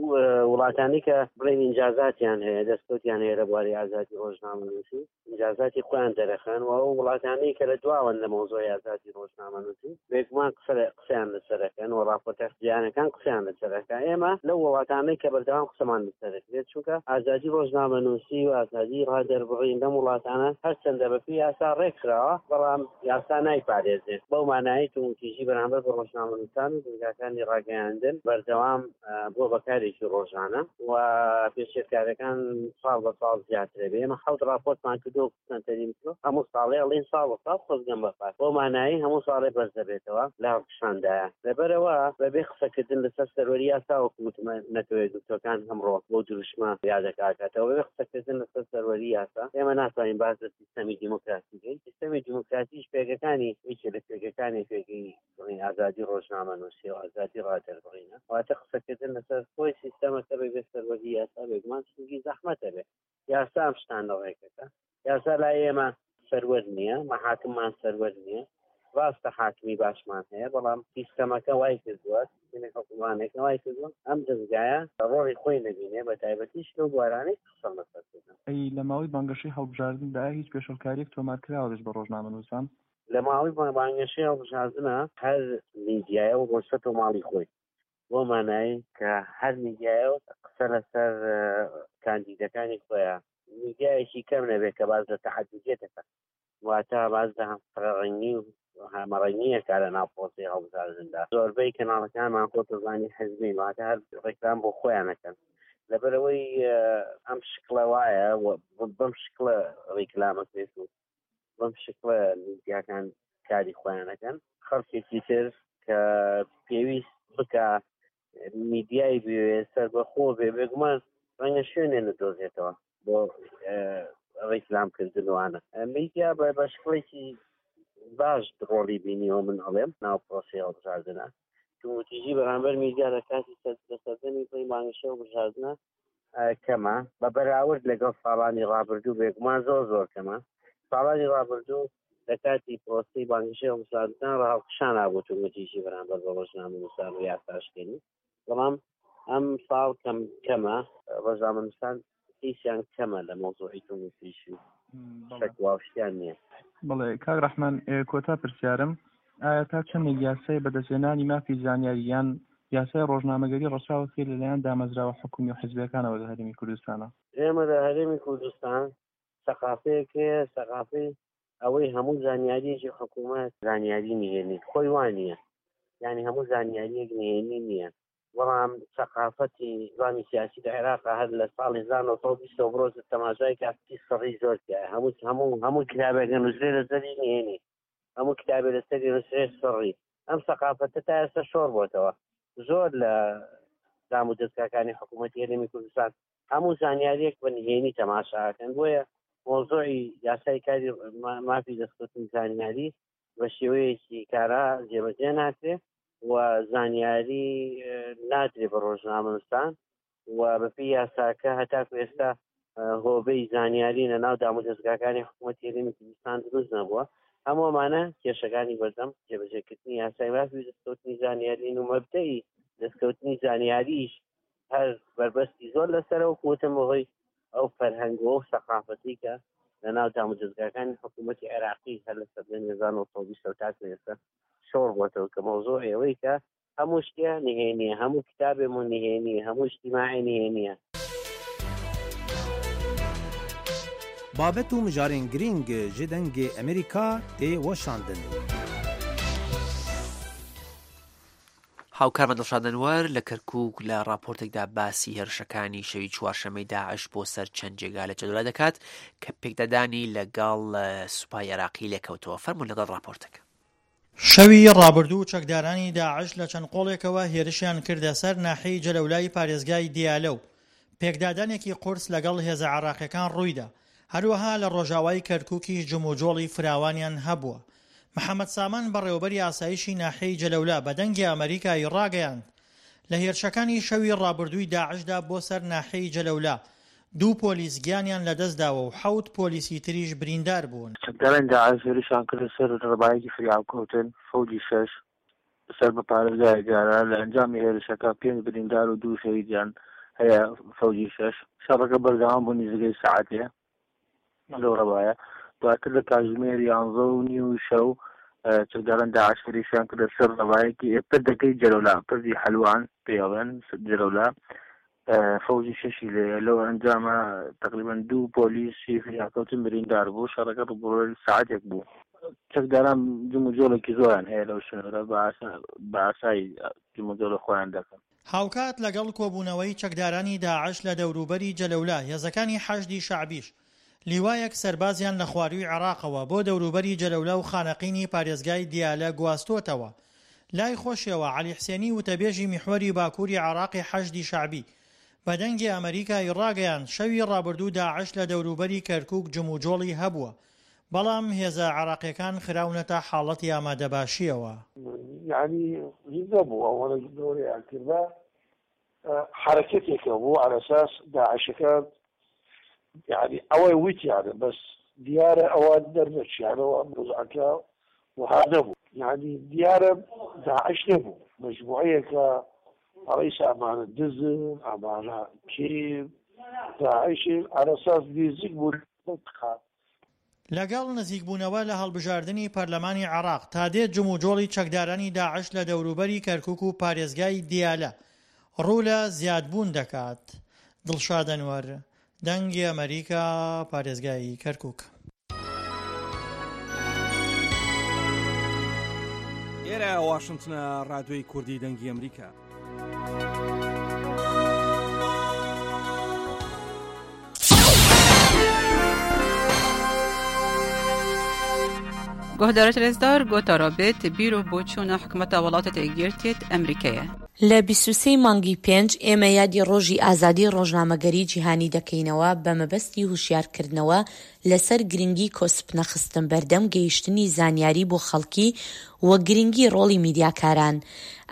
وڵاتانی کە بڵێن ئینجازاتیان هەیە، دەستکەوتیان هەیە لە بواری ئازادی ڕۆژنامەنووسی، ئینجازاتی خۆیان دەرەخەن و ئەو وڵاتانەی کە لە دواوەن لە مەوزوعی ئازادی ڕۆژنامەنووسی بێگومان قسەیان لەسەرەکەن و ڕاپۆرتە جیهانەکان قسەیان لەسەرەکە. ئێمە لەو وڵاتانەی کە بەردەوام قسەمان لەسەرەکرێت، چونکە ئازادی ڕۆژنامەنووسی و ئازادی ڕادەربڕین لەم وڵاتانە هەرچەندە بەپێی یاسا ڕێکخراوە بەڵام یاسا نایپارێزێت. بەو مانایەی توندوتیژی بەرامبەر بە ڕۆژنامەنووسان و دەزگاکانی ڕاگەیاندن بەردەوام بۆ بەکارێکی ڕۆژانە و پێشێلکارەکان ساڵ بە ساڵ زیاترە بێ. ئێمە حەوت ڕاپۆرتمان کردو سەنتەری میترۆ هەموو ساڵێ ئەڵێن ساڵ بە ساڵ خۆزگەم بە پار، بەو مانایەی هەموو ساڵێ بەرز دەبێتەوە لە هەڵکشاندایە. لەبەرەوە بەبێ قسەکردن لەسەر سەروەری یاسا وەکو وتم نەتەوە یەکگرتووەکان ئەمڕۆ بۆ دروشمە یادەکاتەوە بەبێ قسەکردن لەسەر سەروەری یاسا ئێمە ناتوانین باس لە سیستەمی دیموکراسی بکەین. سیستەمی دیموکراسیش پێگەکانی یەکێ لە پێگەکانی پێگەی بڵێین ئازادی ڕۆژنامەنووسی و ئازادی ڕادەربڕینە. واتە قسەکردن لەسەر خۆی سیستەمەکە بەبێ سەروەری یاسا بێگومان شتێکی زەحمەتە بێ. یاسا ئەم شتانە ڕێکەکە. یاسا لای ئێمە سەروەر نییە، مەحاکممان سەروەر نییە. ڕاستە حاکمی باشمان هەیە، بەڵام سیستەمەکە وای کردووە، سیستەمی حکومڕانێکە وای کردووە ئەم دەزگایە ڕۆڵی خۆی نەبینێ، بە تایبەتیش لەو بوارانەی قسەم لەسەر کردن. ئەی لە ماوەی بانگەشەی هەڵبژاردندا هیچ پێشێلکارییەک تۆمار کراوە دژ بە ڕۆژنامەنووسان؟ لە ماوەی بانگەشەی هەڵبژاردنە هەر میدیایە و ڕۆشتەوە ماڵی خۆی، بۆ مانایی کە هەر میدیایە و قسە لەسەر کاندیدەکانی خۆیە، میدیایەکی کەم نەبێت کە باز لە تەحەدیەتەکە، واتە باز لە هەمفرەڕەنگی و هەمەڕەنگیەکە لە ناو پرۆسەی هەڵبژاردندا. زۆربەی کەناڵەکانمان خۆتەزانی حزبین، واتە هەر ڕێکلام بۆ خۆیانەکەن. لەبەرەوەی ئەم شکڵە وایە بەم شکڵە ڕیکلامەکرێت و بەم شکڵە میدیاکان کاری خۆیانەکەن، خەڵکێکی تر کە پێویست بکە میدیای بوێ سەربەخۆ بێ، بێگومان ڕەنگە شوێنێ نەدۆزێتەوە بۆ ڕیکلامکردنوانە. میدیا بە شکڵێکی باش ڕۆڵی بینیەوە من ئەڵێم ناو پرۆسەی هەڵبژاردنە. توندوتیژی بەرامبەر میدیا لە کاتی لە سەردەمی خۆی بانگەشە هەڵبژاردنە کەمە بە بەراورد لەگەڵ ساڵانی ڕابردوو، بێگومان زۆر زۆر کەمە. ساڵانی ڕابردوو لە کاتی پرۆسەی بانگەشەی هەڵبژاردنە ڕاهەڵکشان نابوو توندوتیژی بەرامبەر بە ڕۆژنامەنووسان و یاساشکێنی، بەڵام ئەم ساڵ کەم کەمە. ڕۆژنامەنووسان هیچیان کەمە لە مەوزوعی توندوتیژی شەکوا و شتیان نییە. بەڵێ کاک ڕەحمان، کۆتا پرسیارم، ئایا تا چەندێک یاسای بەدەستهێنانی مافی زانیاری یان یاسای ڕۆژنامەگەری ڕەچاوە کرد لەلایەن دامەزراوە حکومی و حزبیەکانەوە لە هەرێمی کوردستانە؟ ئێمە لە هەرێمی کوردستان سەقافەیەک هەیە، سەقافەی ئەوەی هەموو زانیاریەکی حکوومەت زانیاری نهێنی خۆی وانە، یعنی هەموو زانیاریەک نهێنی نییە. بەڵام سەقافەتی نظامی سیاسی لە عێراق هەر لە ساڵی هەزار و نۆ سەد و بیست بڕۆ تەماشای کاتی سڕی زۆر تیایە. هەموو هەموو هەموو کتابێک نووسرێ لەسەری نهێنی، هەموو کتابێ لەسەری نووسرێ سڕی. ئەم سەقافەتە تا ئێستا شۆڕ بۆتەوە. زۆر لە دام و دەزگاکانی حکوومەتی هەرێمی کوردستان هەموو زانیاریەک بە نهێنی تەماشاکەن. بۆیە مۆزوعی یاسای کاری مافی دەستکەوتنی زانیاری بە شێوەیەکی کارا جێبەجێ ناکرێ و زانیاری نادرێ بە ڕۆژنامەنووسان و بەپێی یاساکە هەتاکو ئێستا هۆبەی زانیاری لە ناو دام و دەزگاکانی حکوومەتی هەرێمی کوردستان دروست نەبووە. هەموو ئەمانە کێشەکانی بەردەم جێبەجێکردنی یاسای مافی دەستکەوتنی زانیاری و مەبدەئی دەستکەوتنی زانیاریش هەر بەربەستی زۆر لەسەرەوە کوتم بەهۆی ئەو فەرهەنگ و ئەو سەقافەتی کە لە ناو دام و دەزگاکانی حکوومەتی عێراقی هەر لە سەردەمی هەزار و نۆ سەد و بیست تاکو ئێستا شۆڕ بۆتەوە کە مەوزوع ئەوەی کە هەموو شتێ نهێنیە، هەموو کتابێمون نهێنیە، هەموو اجتماعی نهێنیە. بابەت و مژارên girîng ji dengê Amerîka tê weşandin. هاوکارمان دڵشاد ئەنوەر لە کەرکووک لە راپۆرتێکدا باسی هێرشەکانی شەوی چوارشەممەی داعش بۆ سەر چەند جێگا لە جەدولا دەکات کە پێکدادانی لەگەڵ سوپای عێراقی لێکەوتەوە. فەرموون لەگەڵ راپۆرتەکە. شەوی ڕابردوو چەکدارانی داعش لە چەند قۆڵێکەوە هێرشیان کردە سەر ناحیەی جەلەولای پارێزگای دیالە و پێکدادانێکی قورس لەگەڵ هێزە عێراقیەکان ڕوویدا. هەروەها لە ڕۆژاوای کەرکووکیش جموجۆڵی فراوانیان هەبووە. محەممەد سامان بەڕێوەبەری ئاسایشی ناحیەی جەلەولا بە دەنگی ئەمریکای ڕاگەیاند لە هێرشەکانی شەوی ڕابردووی داعشدا بۆ سەر ناحیەی جەلەولا دوو پۆلیس گیانیان لەدەستداوە و حەوت پۆلیسی تریش بریندار بوون. چەکدارانی داعش هێرشیان کردە سەر ڕەبایەکی فریاکەوتن فەوجی شەش سەر بە پارێزگای دیالە. لە ئەنجامی هێرشەکە پێنج بریندار و دوو شەهیدیان هەیە. فەوجی شەش شەڕەکە بەردەوام بوو نزیکەی سەعاتێ لەو ڕەبایە. دواتر لە کاتژمێر یانزە و نیو شەو چەکداران داعش هێرشیان کردە سەر ڕەبایەکی پردەکەی جەلەولا، پردی حەلوان پێڵێن جەلەولا، فەوجی شەشی لێیە. لەو ئەنجامە تقریبا دوو پۆلیسی فریاکەوتن بریندار بوو. شەڕەکە ڕووبەڕووی سەعاتێک بوو. چەکداران جموجۆڵێکی زۆریان هەیە لەو سنوورە، بە ئاسایی جموجۆڵی خۆیان دەکەن. هاوکات لەگەڵ کۆبوونەوەی چەکدارانی داعش لە دەوروبەری جەلەولا، هێزەکانی حەشدی شەعبیش لیوایەک سەربازیان لە خوارووی عێراقەوە بۆ دەوروبەری جەلەولا و خانەقینی پارێزگای دیالە گواستۆتەوە. لای خۆشیەوە عەلی حسێنی وتەبێژی میحوەری باکووری عێراقی حەشدی شەعبی بە دەنگی ئەمەریکای ڕاگەیاند شەوی ڕابردوو داعش لە دەوروبەری کەرکوک جموجۆڵی هەبووە، بەڵام هێزە عێراقیەکان خراونەتە حاڵەتی ئامادەباشیەوە. یانی هیچ نەبوو ئەوەنە گەورەیان کردبا حەرەکەتێکە بوو عەلە ئەساس داعشەکان یانی ئەوەی وتیانە بەس دیارە ئەوان دەرنەچیانەوە ئەم وەزعەکە وەها نەبوو یانی دیارە داعش نەبوو مەجموعەیەکە ئەڵێیسە ئەمانە دزن ئەمانە کێن داعشن عەلە ئەساس نزیک بوو لە لەگەڵ نزیکبوونەوە لە هەڵبژاردنی پەرلەمانی عێراق، تا دێت جموجۆڵی چەکدارانی داعش لە دەوروبەری کەرکوک و پارێزگای دیالە ڕوو لە زیادبوون دەکات. دڵشاد ئەنوەر، دەنگی ئەمەریکا، پارێزگای کەرکوک. ئێرە واشنتنە، ڕادیۆی کوردی دەنگی ئەمریکا. گۆهدارێت رێزدار گۆتارا بێت بیر و بۆچوونە حکومەتە وڵاتە یەکگرتیێت ئەمریکەیە. لە بیست و سێ مانگی پێنج ئێمە یادی ڕۆژی ئازادی ڕۆژنامەگەری جیهانی دەکەینەوە بە مەبەستی هوشیارکردنەوە لەسەر گرنگی کۆسپنەخستن بەردەم گەیشتنی زانیاری بۆ خەڵکی و گرنگی ڕۆڵی میدیاکاران.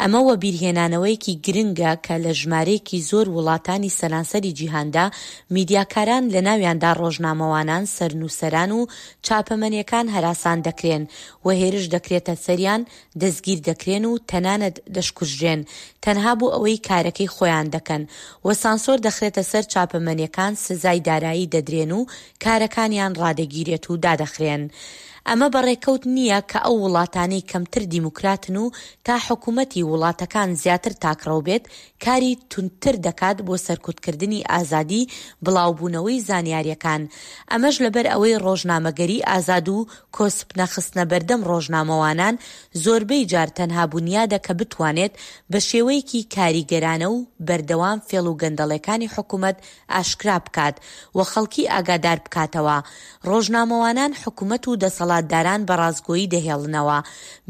ئەمە وەبیرهێنانەوەیەکی گرنگە کە لە ژمارەیەکی زۆر وڵاتانی سەرانسەری جیهاندا میدیاکاران لەناویاندا ڕۆژنامەوانان سەرنوسەران و چاپەمەنیەکان هەراسان دەکرێن و هێرش دەکرێتە سەریان دەستگیر دەکرێن و تەنانەت دەشکوژرێن تەنها بۆ ئەوەی کارەکەی خۆیان دەکەن و سانسۆر دەخرێتە سەر چاپەمەنیەکان سزای دارایی دەدرێن و کارەکانیان ڕادەگیرێت و دادەخرێن. ئەمە بە ڕێکەوت نییە کە ئەو وڵاتانەی کەمتر دیموکراتن و تا حکومەتی وڵاتەکان زیاتر تاکڕەو بێت کاری توندتر دەکات بۆ سەرکوتکردنی ئازادی بڵاوبوونەوەی زانیاریەکان ئەمەش لەبەر ئەوەی ڕۆژنامەگەری ئازاد و کۆسپ نەخستنە بەردەم ڕۆژنامەوانان زۆربەی جار تەنها بونیادە کە بتوانێت بە شێوەیەکی کاریگەرانە و بەردەوام فێڵ و گەندەڵێکانی حکومەت ئاشکرا بکات و خەڵکی ئاگادار بکاتەوە. ڕۆژنامەوانان حکومەت و دەسەڵاتداران بە ڕاستگۆیی دەهێڵنەوە.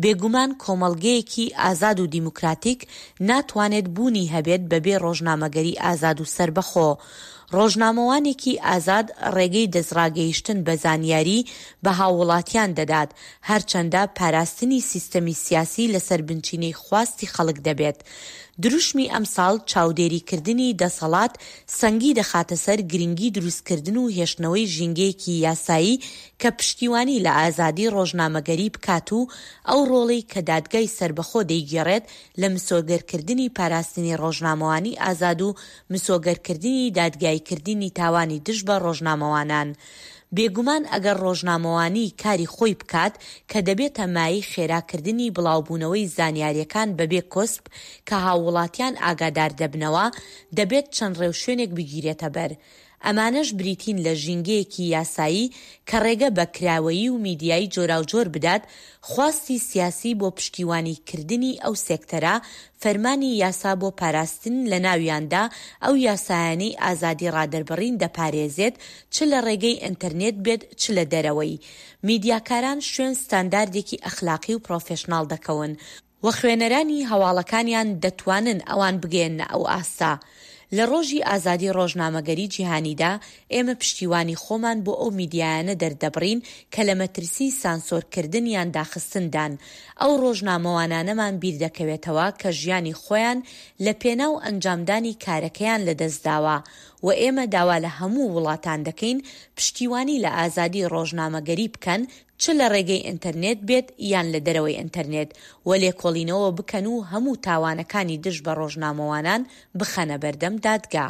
بێگومان کۆمەڵگەیەکی ئازاد و دیموکراتیک ناتوانێت بوونی هەبێت بەبێ ڕۆژنامەگەری ئازاد و سەربەخۆ. ڕۆژنامەوانێکی ئازاد ڕێگەی دەستڕاگەیشتن بە زانیاری بە هاووڵاتیان دەدات، هەرچەندە پاراستنی سیستەمی سیاسی لەسەر بنچینەی خواستی خەڵک دەبێت. دروشمی ئەمساڵ چاودێریکردنی دەسەڵات سەنگی دەخاتە سەر گرنگی دروستکردن و هێشتنەوەی ژینگەیەکی یاسایی کە پشتیوانی لە ئازادی ڕۆژنامەگەری بکات و ئەو ڕۆڵەی کە دادگای سەربەخۆ دەیگێڕێت لە مسۆگەرکردنی پاراستنی ڕۆژنامەوانی ئازاد و مسۆگەرکردنی دادگاییکردنی تاوانی دژ بە ڕۆژنامەوانان. بێگومان ئەگەر ڕۆژنامەوانی کاری خۆی بکات کە دەبێتە مایەی خێراکردنی بڵاوبوونەوەی زانیاریەکان بەبێ کۆسپ کە هاووڵاتیان ئاگادار دەبنەوە، دەبێت چەند ڕێوشوێنێک بگیرێتە بەر. ئەمانەش بریتین لە ژینگەیەکی یاسایی کە ڕێگە بە کراوەیی و میدیای جۆراوجۆر بدات، خواستی سیاسی بۆ پشتیوانی کردنی ئەو سێکتەرە، فەرمانی یاسا بۆ پاراستن لەناویاندا ئەو یاسایانەی ئازادی ڕادەربڕین دەپارێزێت چ لە ڕێگەی ئینتەرنێت بێت چ لە دەرەوەی. میدیاکاران شوێن ستانداردێکی ئەخلاقی و پرۆفێشناڵ دەکەون و خوێنەرانی هەواڵەکانیان دەتوانن ئەوان بگەیەننە ئەو ئاستە. لە ڕۆژی ئازادی ڕۆژنامەگەری جیهانیدا، ئێمە پشتیوانی خۆمان بۆ ئەو میدیایانە دەردەبڕین کە لە مەترسی سانسۆرکردن یان داخستندان. ئەو ڕۆژنامەوانانەمان بیردەکەوێتەوە کە ژیانی خۆیان لە پێناو ئەنجامدانی کارەکەیان لەدەستداوە و ئێمە داوا لە هەموو وڵاتان دەکەین پشتیوانی لە ئازادی ڕۆژنامەگەری بکەن چ لە ڕێگەی ئینتەرنێت بێت یان لە دەرەوەی ئینتەرنێت و لێکۆڵینەوە بکەن و هەموو تاوانەکانی دژ بە ڕۆژنامەوانان بخەنە بەردەم دادگا.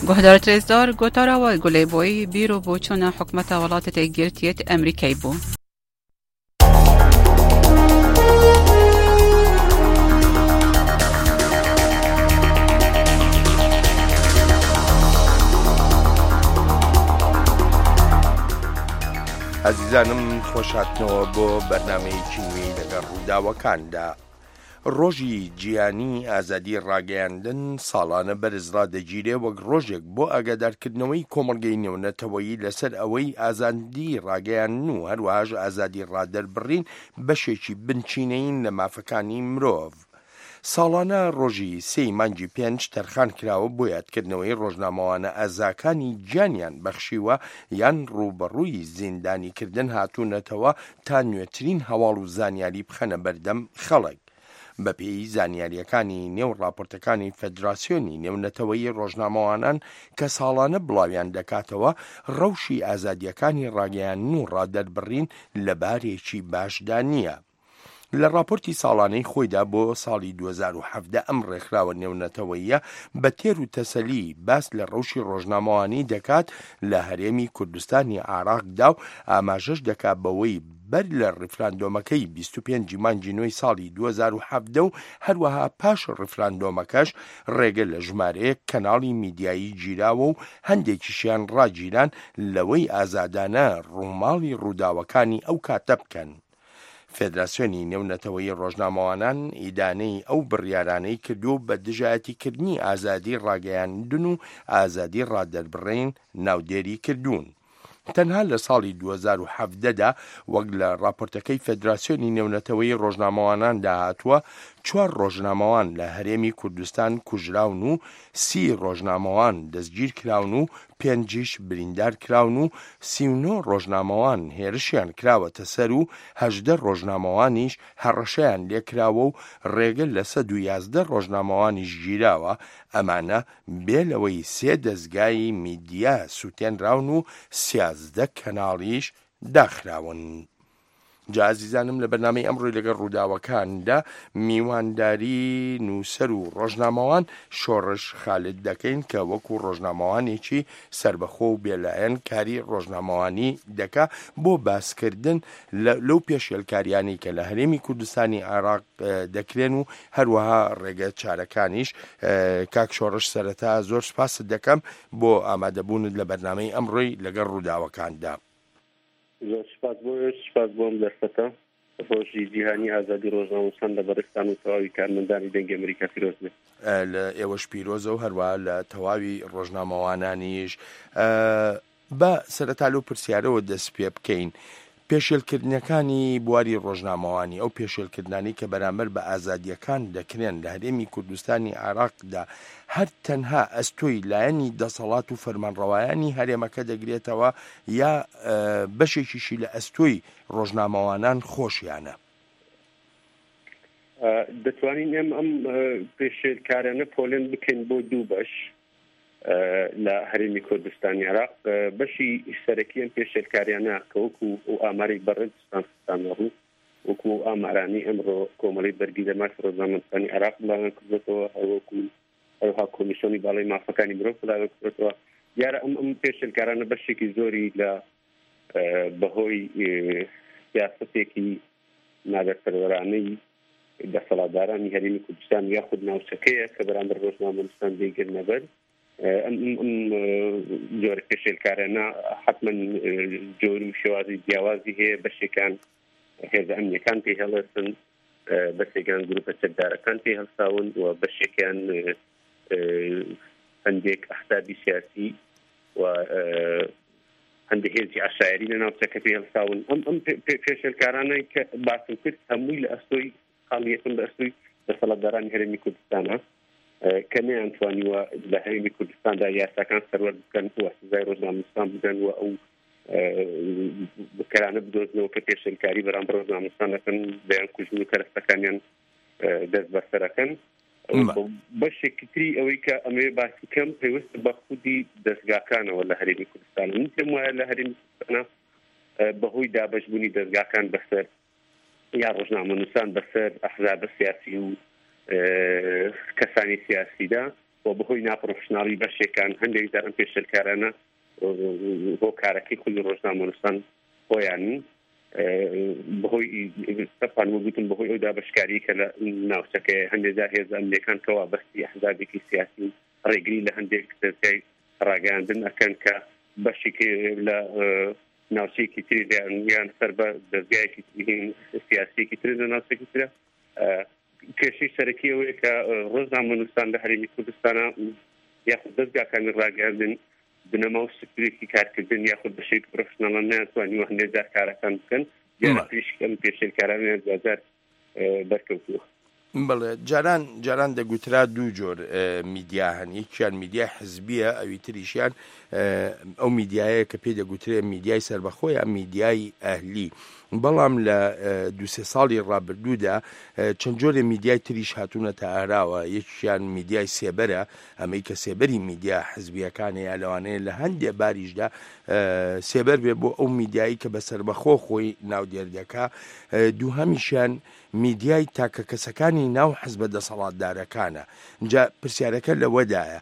گۆهدارت رێزدار گۆتارا وە گولەی بۆی بیر و بۆچوونە حکومەتە وڵاتە یەکگرتیێت ئەمریکای بوو. ئازیزانم خۆشهاتنەوە بۆ بەرنمەیەکی نوێی لەگەڵ ڕووداوەکاندا. ڕۆژی جیهانی ئازادی ڕاگەیاندن ساڵانە بەرز ڕادەگیرێ وەک ڕۆژێک بۆ ئاگادارکردنەوەی کۆمەڵگەی نێونەتەوەیی لەسەر ئەوەی ئازادی ڕاگەیاندن و هەروەهاش ئازادی ڕادەربڕین بەشێکی بنچینەیین لە مافەکانی مرۆڤ. ساڵانە ڕۆژی سێی مانگی پێنج تەرخان کراوە بۆ یادکردنەوەی ڕۆژنامەوانە ئازاکانی گیانیان بەخشیوە یان ڕووبەڕووی زیندانیکردن هاتوونەتەوە تا نوێترین هەواڵ و زانیاری بخەنە بەردەم خەڵک. بەپێی زانیاریەکانی نێو ڕاپۆرتەکانی فەدراسیۆنی نێونەتەوەیی ڕۆژنامەوانان کە ساڵانە بڵاویان دەکاتەوە، ڕەوشی ئازادیەکانی ڕاگەیاندن و ڕادەربڕین لە بارێکی باشدا نییە. لە ڕاپۆرتی ساڵانەی خۆیدا بۆ ساڵی دوو هەزار و حەڤدە ئەم ڕێکخراوە نێونەتەوەییە بە تێر و تەسەلی باس لە ڕەوشی ڕۆژنامەوانی دەکات لە هەرێمی کوردستانی عێراقدا و ئاماژەش دەکات بەوەی بەر لە ڕیفراندۆمەکەی بیست و پێنج مانگی نۆی ساڵی دوو هەزار و حەڤدە و هەروەها پاش ڕیفراندۆمەکەش ڕێگە لە ژمارەیەک کەناڵی میدیایی گیراوە و هەندێکیشیان ڕاگیران لەوەی ئازادانە ڕووماڵی ڕووداوەکانی ئەو کاتە بکەن. فێدراسیۆنی نێونەتەوەیی ڕۆژنامەوانان ئیدانەی ئەو بڕیارانەی کردو بە دژایەتیکردنی ئازادی ڕاگەیاندن و ئازادی ڕادەربڕین ناودێری کردوون. تەنها لە ساڵی دوو هەزار و حەڤدە دا وەک لە ڕاپۆرتەکەی فێدراسیۆنی نێونەتەوەیی ڕۆژنامەواناندا هاتووە، چوار ڕۆژنامەوان لە هەرێمی کوردستان کوژراون و سی ڕۆژنامەوان دەستگیر کراون و پێنجیش بریندار کراون و سی و نۆ ڕۆژنامەوان هێرشیان کراوەتە سەر و هەژدە ڕۆژنامەوانیش هەڕەشەیان لێکراوە و ڕێگە لە سەد و یازدە ڕۆژنامەوانیش گیراوە، ئەمانە بێ لەوەی سێ دەزگای میدیا سووتێنراون و سیازدە کەناڵیش داخراون. جا ئازیزانم لە بەرنامەی ئەمڕۆی لەگەڵ ڕووداوەکاندا میوانداری نووسەر و ڕۆژنامەوان شۆڕش خالد دەکەین کە وەکو ڕۆژنامەوانێکی سربەخۆ و بێلایەن کاری ڕۆژنامەوانی دەکا بۆ باسکردن لەو پێشێلکاریانی کە لە هەرێمی کوردستانی عێراق دەکرێن و هەروەها ڕێگە چارەکانیش. کاک شۆڕش سەرەتا زۆر سپاست دەکەم بۆ ئامادەبوونت لە بەرنامەی ئەمڕۆی لەگەڵ ڕووداوەکاندا. زۆر سپاس بۆ سپاس بۆم دەرفەتە. ڕۆژی جیهانی ئازادی ڕۆژنامەنووسان لە بەڕێزتان و تەواوی کارمەندانی دەنگی ئەمریکا پیرۆز بێت. لە ئێوەش پیرۆزە و هەروە لە تەواوی ڕۆژنامەوانانیش. بە سەرەتا لەو پرسیارەوە دەست پێ بکەین. پێشێلکردنەکانی بواری ڕۆژنامەوانی، ئەو پێشێلکردنانی کە بەرامبەر بە ئازادیەکان دەکرێن لە هەرێمی کوردستانی عێراقدا، هەر تەنها ئەستۆی لایەنی دەسەڵات و فەرمانڕەوایانی هەرێمەکە دەگرێتەوە یا بەشێکیشی لە ئەستۆی ڕۆژنامەوانان خۆشیانە؟ دەتوانین ئێمە ئەم پێشێلکارانە پۆلێن بکەین بۆ دوو بەش لە هەرێمی کوردستانی عێراق. بەشی سەرەکی ئەم پێشێلکاریانە کە وەکو ئەو ئامارەی بەڕێزتان خستانە ڕوو، وەکو ئەو ئامارانەی ئەمڕۆ کۆمەڵەی بەرگری لە مافی ڕۆژنامەنووسانی عێراق بڵاویان کردوێتەوە، هەروەکو هەروەها کۆمیسیۆنی باڵای مافەکانی مرۆڤ بڵاویان کردوێتەوە، دیارە ئەم ئەم پێشێلکارانە بەشێکی زۆری لە بەهۆی سیاسەتێکی نادەسەروەرانەی دەسەڵاتدارانی هەرێمی کوردستان یاخود ناوچەکەیە کە بەرامبەر ڕۆژنامەنووسان دەیگرنەبەر. ئەم ئەم جۆرە پێشێلکارانە حتمما جۆر و شێوازی جیاوازی هەیە. بەشێکان هێزە ئەمنیەکان پێی هەڵێسن، بەشێکیان گروپە چەکدارەکان پێی هەڵساون و بەشێکیان هەندێک ئەحزابی سیاسی و هەندێک هێزی عەشایەری لە ناوچەکە پێی هەڵساون. ئەم ئەم پێشێلکارانە کە باسم کرد هەمووی لە ئەستۆی خاڵی یەکەم لە ئەستۆی دەسەڵاتدارانی هەرێمی کوردستانە کە نەیانتوانیوە لە هەرێمی کوردستاندا یاساکان سەروەر بکەن و سزای ڕۆژنامەنووسان بدەن و ئەو بکەرانە بدۆزنەوە کە پێشێلکاری بەرامبەر ڕۆژنامەنووسان دەکەن، دەیان کوژن و کەرەستەکانیان دەست بەسەرەکەن. بەشێکی تری ئەوەی کە ئەمەوێ باسی کەم پەیوەست بە خودی دەستگاکانەوە لە هەرێمی کوردستان. من پێم وایە لە هەرێمی کوردستانە بەهۆی دابەشبوونی دەستگاکان بەسەر یا ڕۆژنامەنووسان بەسەر ئەحزابە سیاسی و کەسانی سیاسیدا و بەهۆی ناپرۆفشناڵی بەشێکان هەندێک جار ئەم پێشێلکارانە هۆکارەکەی خودی ڕۆژنامەنووسان خۆیانن. بەهۆی سەپان وەگوتم بەهۆی ئەو دابەشکاری کە لە ناوچەکەی هەندێک جار هێزە ئەمنیەکان کەوا بەستی ئەحزابێکی سیاسی ڕێگری لە هەندێک دەزگای ڕاگەیاندن ئەکەن کە بەشێک لە ناوچەیەکی تری یان سەر بە دەزگایەکی سیاسیەکی تر لە ناوچەیەکی ترە. کێشەی سەرەکی ئەوەیە کە ڕۆژنامەنووسان لە هەرێمی کوردستانە یاخود دەزگاکانی ڕاگەیاندن بنەما و سترێکی کارکردن یاخود بە شێوەیەکی پرۆفشناڵە نەیانتوانیوە هەندێک جار کارەکان بکەن، دیارە پریشک ئەم پێشێلکارانیان دواجار بەرکەوتووە. بەڵێ، جاران جاران دەگوترا دوو جۆر میدیا هەن، یەکیان میدیای حزبیە، ئەوی تریشیان ئەو میدیایە کە پێی دەگوترێ میدیای سەربەخۆ یا میدیای ئەهلی. بەڵام لە دوو سێ ساڵی ڕابردوودا چەند جۆرێ میدیای تریش هاتوونەتە ئاراوە، یەکیان میدیای سێبەرە، ئەمەی کە سێبەری میدیا حزبیەکانە یا لەوانەیە لە هەندێ باریشدا سێبەر بێ بۆ ئەو میدیایی کە بە سەربەخۆ خۆی ناودێر دەکا. دووهەمیشیان میدیای تاکە کەسەکانی ناو حزبە دەسەڵاتدارەکانە. جا پرسیارەکە لەوەدایە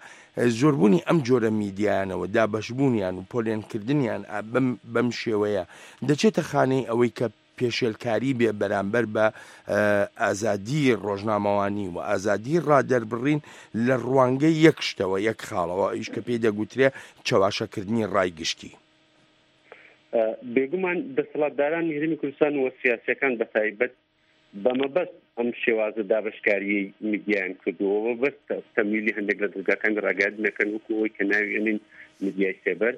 زۆربوونی ئەم جۆرە میدیایانەوە، دابەشبوونیان و پۆلێنکردنیان بەم شێوەیە دەچێتە خانەی ئەوەی کە پێشێلکاری بێ بەرامبەر بە ئازادی ڕۆژنامەوانی و ئازادی ڕادەربڕین لە ڕوانگەی یەک شتەوە، یەک خاڵەوە، ئەویش کە پێی دەگوترێ چەواشەکردنی ڕای گشتی. بێگومان دەسەڵاتدارانی هەرێمی کوردستان و سیاسیەکان بەتایبەت بەمەبەست ئەم شێوازە دابەشکاریەی میدیایان کردووە، مەبەست تەمویلی هەندێک لە دەزگاکانی ڕاگەیاندنەکەن وەکو ئەوەی کە ناوی ئەنین میدیای سێبەر.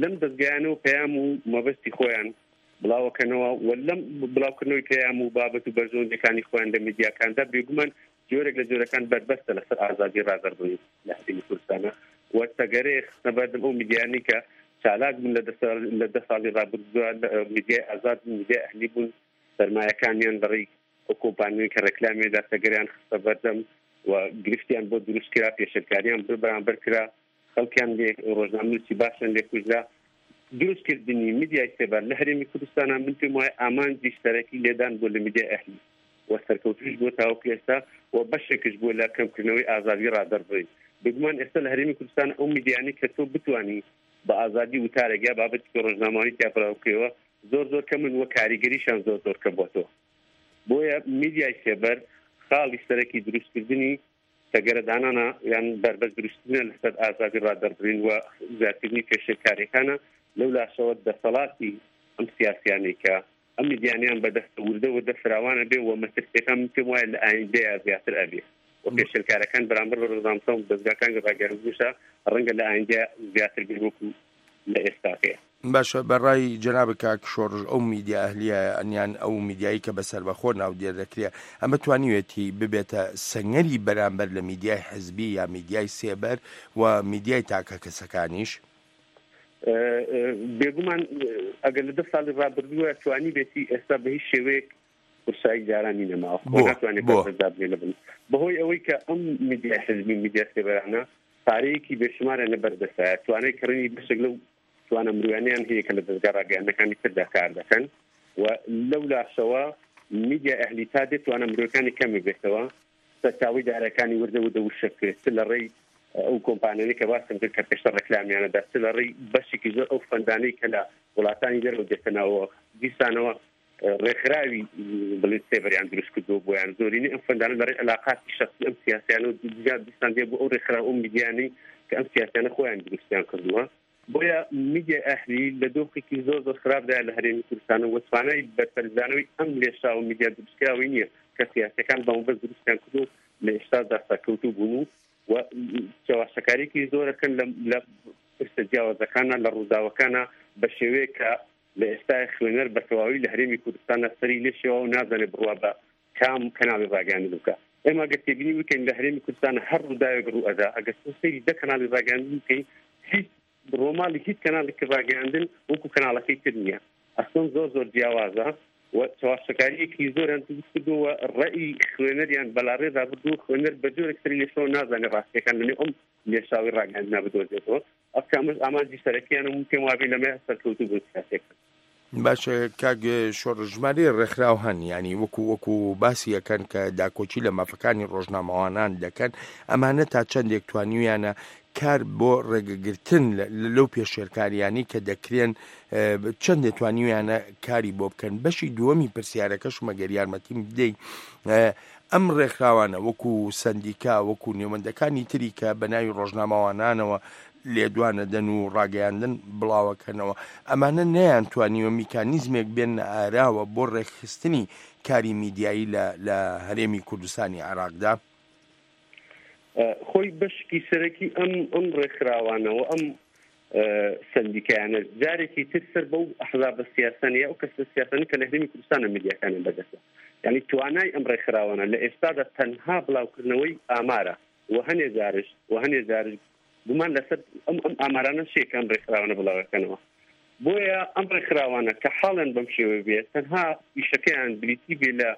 لەم دەزگایانەوە پەیام و مەبەستی خۆیان بڵاوەکەنەوە و لەم بڵاوکردنەوەی پەیام و بابەت و بەرژەوەندیەکانی خۆیان لە میدیاکاندا بێگومان جۆرێک لە جۆرەکان بەربەستە لەسەر ئازادی ڕادەربڕین لە هەرێمی کوردستانە و تەگەرەیە خستنە بەردەم ئەو میدیانەی کە چالاک بوون لە دە ساڵی ڕابردووە، میدیای ئازاد بوون، میدیای ئەهلی بوون، سەرمایەکانیان لەڕێی ئەو کۆمپانیای کە ڕێکلامیدا تەگەریان خستە بەردەم و گرفتیان بۆ دروست کرا، پێشێلکاریان بەرامبەر کرا، خەڵکیان لێ ڕۆژنامەنووسی باشیان لێ کوژرا. دروستکردنی میدیای سێبەر لە هەرێمی کوردستانە من پێم وایە ئامانجی سەرەکی لێدان بۆ لە میدیای ئەهلی و سەرکەوتوش بۆ تاوەکو ئێستا و بەشێکش بووە لە کەمکردنەوەی ئازادی ڕادەربڕین. بێگومان ئێستا لە هەرێمی کوردستان ئەو میدیانەی کە تۆ بتوانی بە ئازادی وتارێک یا بابەتێکی ڕۆژنامەوانی تیا بڵاو بکەیەوە زۆر زۆر کەمن و کاریگەریشان زۆر زۆر کەم بۆتەوە. بۆیە میدیای سێبەر خاڵی سەرەکی دروستکردنی تەگەرەدانانە یان بەربەست دروستکردنە لەسەر ئازادی ڕادەربڕین و زیادکردنی پێشێلکاریەکانە. لەو لاشەوە دەسەڵاتی ئەم سیاسیانەی کە ئەم میدیانیان بەدەستە وردە وردە فراوانە بێ و مەترسیەکان من پێم وایە لە ئایندەیە زیاتر ئەبێ و پێشێلکارەکان بەرامبەر بە ڕۆژنامەنووسان و دەزگاکانی ڕاگەیاندنیشە ڕەنگە لە ئایندەیە زیاتر بێ وەکو لە ئێستاکەیە. باشە، بە ڕای جەنابت کاک شۆڕش ئەو میدیا ئەهلیە یان ئەو میدیایی کە بە سەربەخۆ ناودێر دەکرێ ئەمە توانیوێتی ببێتە سەنگەری بەرامبەر لە میدیای حزبی یا میدیای سێبەر و میدیای تاکە کەسەکانیش؟ بێگومان ئەگەر لە دە ساڵی ڕابردووە توانی بێتی، ئێستا بە هیچ شێوەیەک قورسایی جارانی نەماوە، ناتوانێت بەربەست بنێ لە بن، بەهۆی ئەوەی کە ئەم میدیای حزبی میدیا سێبەرانە پارەیەکی بێشمارە لە بەردەستایە، توانای کڕینی بەشێک لەو توانە مرۆیانیان هەیە کە لە دەزگا ڕاگەیاندنەکانی تردا کار دەکەن و لەو لاشەوە میدیا ئەهلی تا دێت توانە مرۆیەکانی کەمی بێتەوە، سەرچاوەی دارەکانی وردە وردە وشە بکرێت، چ لە ڕێی ئەو کۆمپانیانەی کە باسم کرد کە پێشتر ڕێکلامیانەدا، چ لە ڕێی بەشێکی زۆر ئەو فەندانەی کە لە وڵاتانی دەرەوە دێتە ناوەوە، دیسانەوە ڕێکخراوی بڵێن سێبەریان دروست کردووە بۆیان. زۆرینەی ئەم فەندانە لە ڕێی علاقاتی شخصی ئەم سیاسیانە و دیسان دێ بۆ ئەو ڕێکخراو ئەو میدیانەی کە ئەم سیاسیانە خۆیان دروستیان کردووە. بۆیە میدیای ئەهلی لە دۆخێکی زۆر زۆر خراپدایە لە هەرێمی کوردستان و توانای بەرپەرچدانەوەی ئەم لێشاوە میدیا دروستکراوی نییە کە سیاسیەکان بە مەبەست دروستیان کردو لە ئێستادا سەرکەوتوو بوون و چەواشەکاریێکی زۆرەکەن لە پرسە جیاوازەکانە لە ڕووداوەکانە بە شێوەیەک کە لە ئێستای خوێنەر بە تەواوی لە هەرێمی کوردستانە سەری لێ شێوە و نازانێت بڕوا بە کام کەناڵی ڕاگەیاندن بکە. ئێمە ئەگەر تێبینی بکەین لە هەرێمی کوردستان هەر ڕووداوێک ڕوو ئەدا، ئەگەر تۆ سەیری دە کەناڵی ڕاگەیاندن بکەی هیچ ڕۆماڵی هیچ کەناڵێکی ڕاگەیاندن وەکو کەناڵەکەی تر نییە، ئەسڵەن زۆر زۆر جیاوازە و چەواشەکارییەکی زۆریان دروست کردووە و ڕەئی خوێنەریان بەلاڕێدا بردووە. خوێنەر بە جۆرێک سەری لێشەوە نازانێت ڕاستیەکان لەنێو ئەم لێشاوی ڕاگەیاندنا بدۆزێتەوە. ئەو ئامانجی سەرەکیان و پێم وابێ لەمە سەرکەوتوو بوون سیاسیەکان. باشە کاک شۆڕش، ژمارەی ڕێکخراو هەن یعنی وەکو وەکو باسی یەکەن کە داکۆکی لە مافەکانی ڕۆژنامەوانان دەکەن، ئەمانە تا چەندێک توانیویانە کار بۆ ڕێگەگرتن لەو پێشێلکاریانی کە دەکرێن چەندێ توانیویانە کاری بۆ بکەن؟ بەشی دووەمی پرسیارەکەش مەگەر یارمەتیم بدەیت، ئەم ڕێکخراوانە وەکو سەندیکا وەکو نێوەندەکانی تری کە بە ناوی ڕۆژنامەوانانەوە لێدوانەدەن و ڕاگەیاندن بڵاوەکەنەوە، ئەمانە نەیانتوانیوە میکانیزمێک بێننە ئاراوە بۆ ڕێکخستنی کاری میدیایی لە لە هەرێمی کوردستانی عێراقدا؟ خۆی بەشکی سەرەکی ئەم ئەم ڕێکخراوانەوە ئەم سندیکایانە جارێکی تر سەر بەو ئەحزابە سیاسانە یا ئەو کەسە سیاسانە کە لە هەرێمی کوردستانە میدیاکانیان بەدەستە. یعنی توانای ئەم ڕێکخراوانە لە ئێستادا تەنها بڵاوکردنەوەی ئامارە و هەنێ جارش و هەنێ جارش گومان لەسەر ئەم ئەم ئامارانە شێ کە ئەم ڕێکخراوانە بڵاوەکەنەوە. بۆیە ئەم ڕێکخراوانە کە حاڵیان بەم شێوەیە بێت تەنها ئیشەکەیان بریتی بێ لە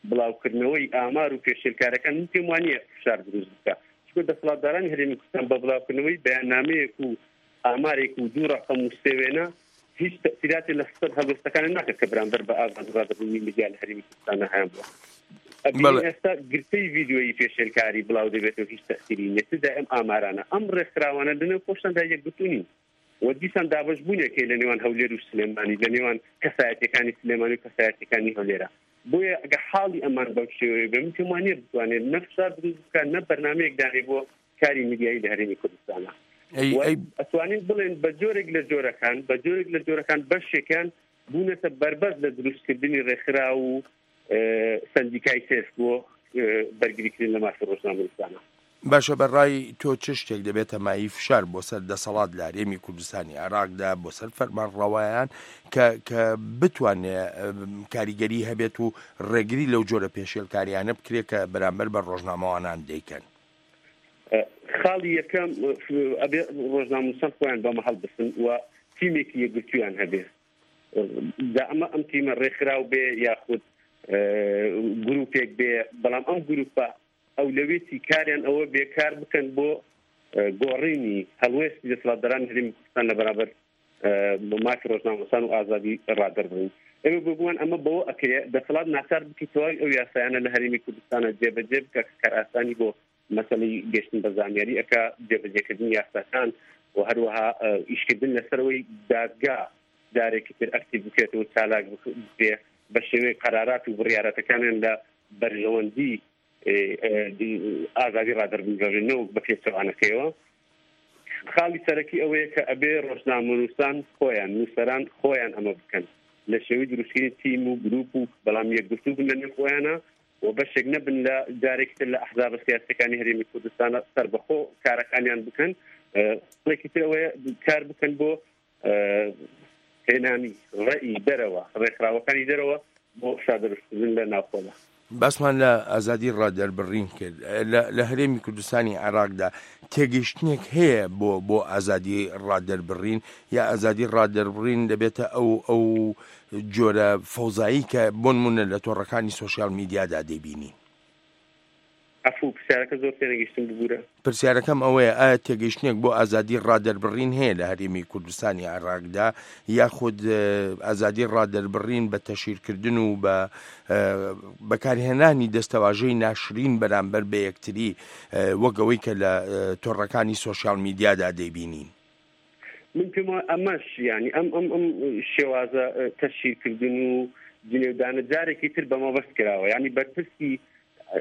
بڵاوکردنەوەی ئامار و پێشێلکارەکان، من پێم وانییە فشار دروست بکە، چونکە دەسەڵاتدارانی هەرێمی کوردستان بە بڵاوکردنەوەی بەیاننامەیەک و ئامارێک و دوو ڕەقەم و سێ وێنە هیچ تەئسیراتی لەسەر هەڵوێستەکان ناکرد کە بەرامبەر بە ئازادی ڕادەبڕینی میدیا لە هەرێمی کوردستان هەیان بووە. ئەبینین ئێستا گرتەی ڤیدیۆیی پێشێلکاری بڵاو دەبێتەوە، هیچ تەئسیری نییە. تدا ئەم ئامارانە ئەم ڕێکخراوانە لەنێو خۆشتاندا یەکگرتوو نین و دیسان دابەشبوونێک هەیە لە نێوان هەولێر و سلێمانی، لە نێوان کەسایەتیەکانی سلێمانی و کەسایەتیەکانی هەولێرە. بۆیە ئەگە حاڵی ئەمان بەم شێوەیە بێ، من پێم وانییە بتوانێت نە فشار دروست بکات نە بەرنامەیەک دانێ بۆ کاری میدیایی لە هەرێمی کوردستانە. ئەتوانین بڵێن بە جۆرێک لە جۆرەکان بە جۆرێک لە جۆرەکان بەشێکیان بوونەتە بەربەست لە دروستکردنی ڕێکخراو و سندیکای سێف بۆ بەرگریکردن لە مافی ڕۆژنامەنووسانە. باشە، بەڕای تۆ چ شتێک دەبێتە مایەی فشار بۆ سەر دەسەڵات لە هەرێمی کوردستانی عێراقدا، بۆ سەر فەرمانڕەوایان کە کە بتوانێ کاریگەری هەبێت و ڕێگری لەو جۆرە پێشێلکاریانە بکرێت کە بەرامبەر بە ڕۆژنامەوانان دەیکەن؟ خاڵی یەکەم ئەبێ ڕۆژنامەنووسان خۆیان بەمە هەڵبسن و تیمێکی یەکگرتوویان هەبێ. جا ئەمە ئەم تیمە ڕێکخراو بێ یاخود گروپێک بێ، بەڵام ئەم گروپە ئەولەویەتی کاریان ئەوە بێکار بکەن بۆ گۆڕینی هەڵوێستی دەسەڵاتدارانی هەرێمی کوردستان لە بەرامبەر مافی ڕۆژنامەنووسان و ئازادی ڕادەربڕین. ئێمە بێگومان ئەمە بەوە ئەکرێ دەسەڵات ناچار بکەیت تەواوی ئەو یاسایانە لە هەرێمی کوردستانە جێبەجێ بکە کە کارئاسانی بۆ مەسەلەی گەشتن بە زانیاری ئەکا، جێبەجێکردنی یاساکان و هەروەها ئیشکردن لەسەرەوەی دادگا جارێکی تر ئەکتیڤ بکرێتەوە، چالاک بکرێ بە شێوەی قەرارات و بڕیاراتەکانیان لە بەرژەوەندی ئازادی ڕادەربڕین نەوەک بە پێچەوانەکەیەوە. خاڵی سەرەکی ئەوەیە کە ئەبێ ڕۆژنامەنووسان خۆیان، نووسەران خۆیان ئەمە بکەن لە شێوەی دروستکردنی تیم و گروپ و بەڵام یەکگرتوو بن لە نێو خۆیانە و بەشێک نەبن لە جارێکی تر لە ئەحزابە سیاسیەکانی هەرێمی کوردستانە سەربەخۆ کارەکانیان بکەن. خاڵێکی تر ئەوەیە کار بکەن بۆ هێنانی ڕێی دەرەوە، ڕێکخراوەکانی دەرەوە بۆ فشار دروستکردن لە ناوخۆدا. باسمان لە ئازادی ڕادەربڕین کرد. لە هەرێمی کوردستانی عێراقدا تێگەیشتنێک هەیە بۆ بۆ ئازادی ڕادەربڕین، یا ئازادی ڕادەربڕین دەبێتە ئەو ئەو جۆرە فەوزایی کە بۆ نمونە لە تۆڕەکانی سۆشیال میدیادا دەیبینین؟ عەفو، پرسیارەکە زۆر تێنەگەیشتم، ببورە. پرسیارەکەم ئەوەیە ئایا تێگەیشتنێک بۆ ئازادی ڕادەربڕین هەیە لە هەرێمی کوردستانی عێراقدا، یاخود ئازادی ڕادەربڕین بە تەشیرکردن و بە بەکارهێنانی دەستەواژەی ناشرین بەرامبەر بە یەکتری وەک ئەوەی کە لە تۆڕەکانی سۆشیال میدیادا دەیبینین؟ من پێم وایە ئەمەش یعنی ئەم ئەم ئەم شێوازە تەشیرکردن و جنێودانە جارێکی تر بە مەبەست کراوە. یعنی بەرپرسی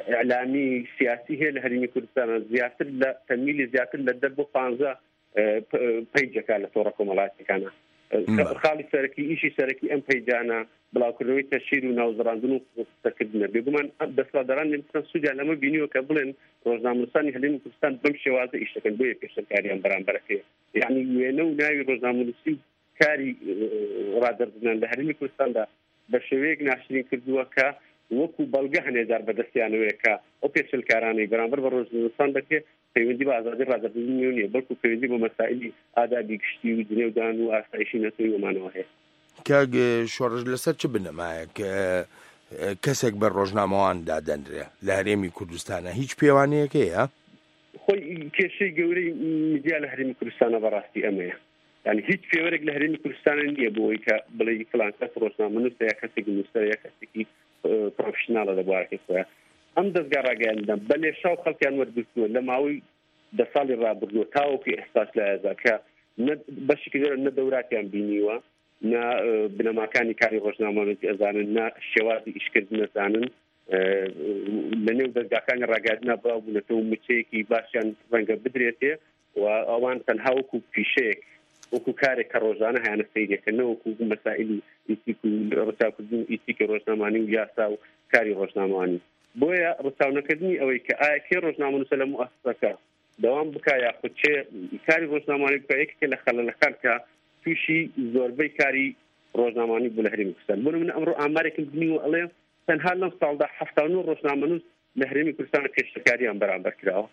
ئیعلامی سیاسی هەیە لە هەرێمی کوردستان زیاتر لە تەمیلی زیاتر لە دە بۆ پانزە پەیجەکە لە تۆڕە کۆمەڵایەتیەکانە. خاڵی سەرەکی ئیشی سەرەکی ئەم پەیجانە بڵاوکردنەوەی تەشیر و ناوزڕاندن و قسەکردنە. بێگومان دەسەڵاتداران کوردستان سوودیان لەمە بینیوە کە بڵێن ڕۆژنامەنووسانی هەرێمی کوردستان بەم شێوازە ئیش دەکەن، بۆیە پێشەنکاریان بەرامبەرەکەیە. یعنی وێنە و ناوی ڕۆژنامەنووسی و کاری ڕادەربڕینان لە هەرێمی کوردستاندا بە شێوەیەک ناشرین کردووە کە وەکو بەڵگە هەنێجار بەدەستیانەوەیە کە ئەو پێشلکارانەی بەرامبەر بە ڕۆژنامەنووسان دەکرێت پەیوەندی بە ئازادی ڕادەربڕین نییە، بەڵکو پەیوەندی بە مەسائلی ئادابی گشتی و جنێودان و ئاسایشی نەتەوەیی ومانەوە هەیە. کاک شۆڕش، لەسەر چ بنەمایەک کەسێک بە ڕۆژنامەوان دادەنرێ لە هەرێمی کوردستانە؟ هیچ پێوانەیەک هەیە؟ خۆی کێشەی گەورەی میدیا لە هەرێمی کوردستانە بەڕاستی ئەمەیە. یعنی هیچ پێوەرێک لە هەرێمی کوردستانە نییە بۆ ئەوەی کە بڵێی فلان کەس ڕۆژنامەنووسە یا کەسێکی نووسەرە یا کەسێکی پرۆفشناڵە لە بوارەکەی خۆیان. ئەم دەستگا ڕاگەیاندنە بە لێشاو خەڵکیان وەرگرتووە لە ماوەی دە ساڵی ڕابردووە تاوەکو ئێستاش لە ئێستا کە بەشێکی زۆر نە دەوراتیان بینیوە، نە بنەماکانی کاری ڕۆژنامەنووسی ئەزانن، نە شێوازی ئیشکردن ئەزانن، لە نێو دەستگاکانی ڕاگەیاندنا بڵاو بوونەتەوە و موچەیەکی باشیان ڕەنگە بدرێتێ، و ئەوان تەنها وەکو پیشەیەک وەکو کارێک کە ڕۆژانە هەیانە سەیرەکەن، نەوەکو مەسائلی ئیتیک و ڕەچاوکردن ئیتیکی ڕۆژنامانی و یاسا و کاری ڕۆژنامەوانی. بۆیە ڕەچاو نەکردنی ئەوەی کە ئایا کێ ڕۆژنامەنووسە لە موئەسسەکە دەوام بکا یاخود چێ کاری ڕۆژنامەوانی بکا، یەکێکە لە خەلەلەکان کە تووشی زۆربەی کاری ڕۆژنامەوانی بوو لە هەرێمی کوردستان. بۆ نمونە ئەمڕۆ ئامارێکم بینیوە ئەڵێ تەنها لەم ساڵدا حەفتا و نۆ ڕۆژنامەنووس لە هەرێمی کوردستان پێشلکاریان بەرامبەر کراوە،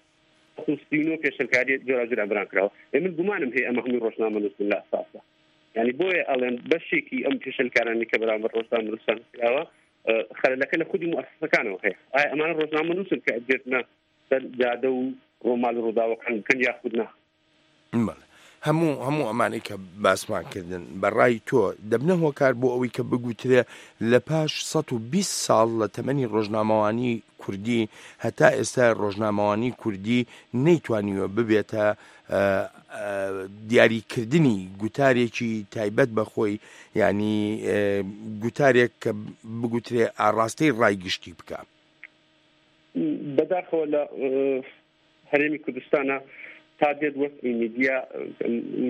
سی و نۆ پێشلکاری جۆراوجۆریان بەرامبەر کراوە. ئێ من گومانم هەیە ئەمە هەمووی ڕۆژنامەنووسن لە ئەساسدا. یعنی بۆیە ئەڵێن بەشێکی ئەم پێشلکارانی کە بەرامبەر ڕۆژنامەنووسان کراوە خەلەلەکە لە خودی موئەسسەکانەوە هەیە. ئایا ئەمانە ڕۆژنامەنووسن کە ئەگرنە سەر جادە و ڕۆماڵی ڕووداوەکان بکەن یاخود نا؟ بەڵێ، هەموو هەموو ئەمانەی کە باسمان کردن بەڕای تۆ دەبنە هۆکار بۆ ئەوەی کە بگوترێ لە پاش سەد و بیست ساڵ لە تەمەنی ڕۆژنامەوانی کوردی هەتا ئێستا ڕۆژنامەوانی کوردی نەیتوانیوە ببێتە دیاریکردنی گوتارێکی تایبەت بە خۆی، ینی گوتارێک کە بگوترێ ئاڕاستەی ڕای گشتی بکە؟ بەداخەوە لە هەرێمی کوردستانە تا دێت وەسمی میدیا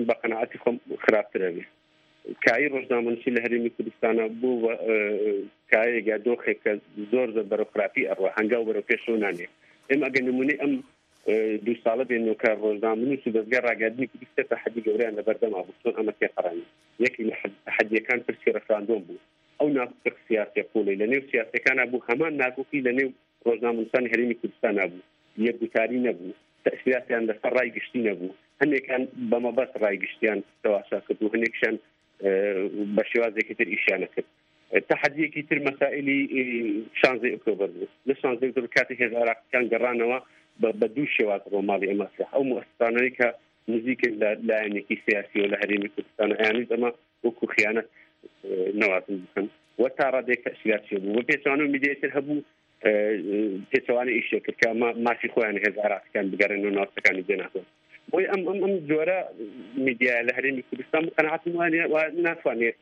بە قەناعەتی خۆم خراپترە بێ. کایی ڕۆژنامەنووسی لە هەرێمی کوردستانە بوو کایەک یا دۆخێک کە زۆر زۆر بەرەو خراپی ئەڕوا، هەنگاو بەرەو پێشەوە نانێ. ئێمە ئەگەر نمونەی ئەم دوو ساڵە بێنەوە کە ڕۆژنامەنووس و دەستگای ڕاگەیاندنی کوردی سێ تەحەدی گەورەیان لەبەردەما بوو، چۆن ئەمە تێپەڕاند. یەکێک لە تەحەدیەکان پرسی ڕێفراندۆم بوو، ئەو ناکۆکی سیاسی قوڵی لە نێو سیاسەکانە بوو، هەمان ناکۆکی لە نێو ڕۆژنامەنووسانی هەرێمی کوردستانە بوو، یەکگوتاری نەبوو، تەئسیراتیان لەسەر ڕای گشتی نەبوو، هەندێکان بەمەبەست ڕای گشتیان تەواشا کرد و هەندێکشیان بە شێوازێکی تر ئیشیانە کرد. تەحەدیەکی تر مەسائلی شانزەی ئۆکتۆبەر بوو. لە شانزەی ئۆکتۆبەر کاتێک هێز عێراقیەکان گەڕانەوە بە دوو شێواز ڕۆماڵی ئەمە کرا. ئەو موئەسسانەی کە نزیکن لە لایەنێکی سیاسیەوە لە هەرێمی کوردستان ئەیانویست ئەمە وەکو خیانەت نەوازن بکەن و تا ڕادەیەک تەئسیرات بوو. بە پێچەوانەوە میدیای تر هەبوو پێچەوانە ئیشێ کرد کە ئەمە مافی خۆیان هێز عێراقیەکان بگەڕێنەوە ناوچەکانی جێناکۆن. بۆی ئەم ئەم ئەم جۆرە میدیایە لە هەرێمی کوردستان قەناعەتم وانیە و ناتوانێت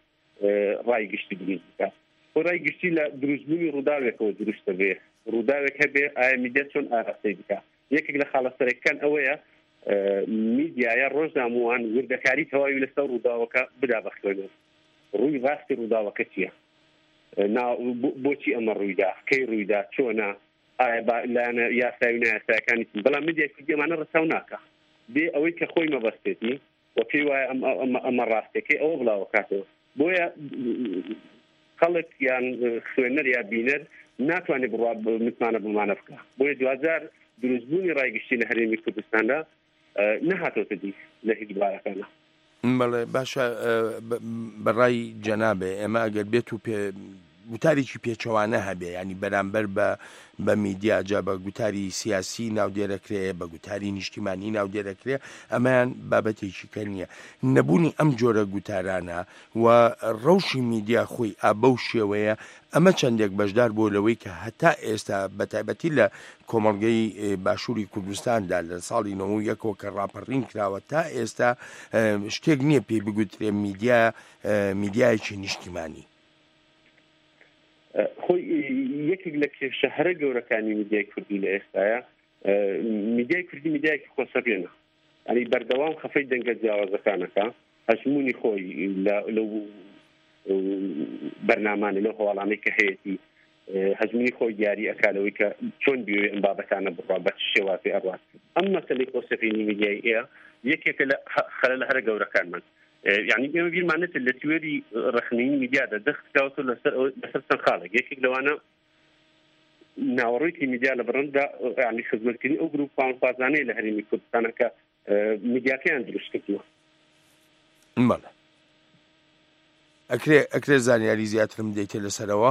ڕای گشتی دروست بکات. بۆ ڕای گشتی لە دروستبوونی ڕووداوێکەوە دروستە بێ، ڕووداوێک هەبێ ئایا میدیا چۆن ئاراستەی بکات. یەکێک لە خاڵە سەرەکیەکان ئەوەیە میدیایە ڕۆژنامەوان وردەکاری تەواوی لەسەر ڕووداوەکە بدا بەخوێنەوە، ڕووی ڕاستی ڕووداوەکە چییە، بۆچی ئەمە ڕوویدا، کەی ڕوویدا، چۆنە، ئایا لایەنە یاسایی و نایاسایەکانی چین. بەڵام میدیای کوردی ئەمانە ڕەچاو ناکا، بێ ئەوەی کە خۆی مەبەستێتی و پێی وایە ئەمە ڕاستەکەی ئەوە بڵاوەکاتەوە. بۆیە خەڵک یان خوێنەر یا بینەر ناتوانێت بڕوا متمانە بمانە بکە. بۆیە دواجار دروستبوونی ڕای گشتی لە هەرێمی کوردستاندا نەهاتۆتە دی لە هیچ بارەکانە. بەڵێ باشە، بەڕای جەنابێ ئێمە ئەگەر بێت و پێ گوتارێکی پێچەوانە هەبێ، ینی بەرامبەر بە بە میدیا، جا بە گوتاری سیاسی ناودێرەکرێ، بە گوتاری نیشتیمانی ناودێرەکرێ، ئەمەیان بابەتێکی کە نییە. نەبوونی ئەم جۆرە گوتارانە و ڕەوشی میدیا خۆی ئابە و شێوەیە، ئەمە چەندێک بەشدار بۆ لەوەی کە هەتا ئێستا بە تایبەتی لە کۆمەڵگەی باشووری کوردستاندا لە ساڵی نەوە یەکەوە کە ڕاپەڕین کراوە تا ئێستا شتێک نییە پێی بگوترێ میدیا میدیایەکی نیشتیمانی. خۆی یەکێک لە کێشە هەرە گەورەکانی میدیای کوردی لە ئێستاە، میدیای کوردی میدیایەکی خۆسەپێنە، یعنی بەردەوام خەفەی دەنگە جیاوازەکانەکە، هەژمونی خۆی لەو بەرنامانە لەو هەواڵانەی کە هەیەتی هەژمونی خۆی دیاری ئەکا لەوەی کە چۆن بیەوێ ئەم بابەتانە بڕوا، بە چ شێوازێ ئەڕوات. ئەم مەسەلەی خۆسەپێنی میدیای ئێ یەکێکە لە خەلەلە هەرە گەورەکانمان. یعنی ئێمە بیرمان نەچێت لە تیۆری ڕەخنەیی میدیادا دەست کراوەتەوە لەسەر لەسەر چەند خاڵێک. یەکێک لەوانە ناوەڕۆیەکی میدیا لە بڕەندا، یعنی خزمەتکردنی ئەو گروپ پاوانخوازانەیە لە هەرێمی کوردستانە کە میدیاکەیان دروست کردووە. بەڵێ ئەکرێ ئەکرێ زانیاری زیاترم دەیتێ لەسەرەوە؟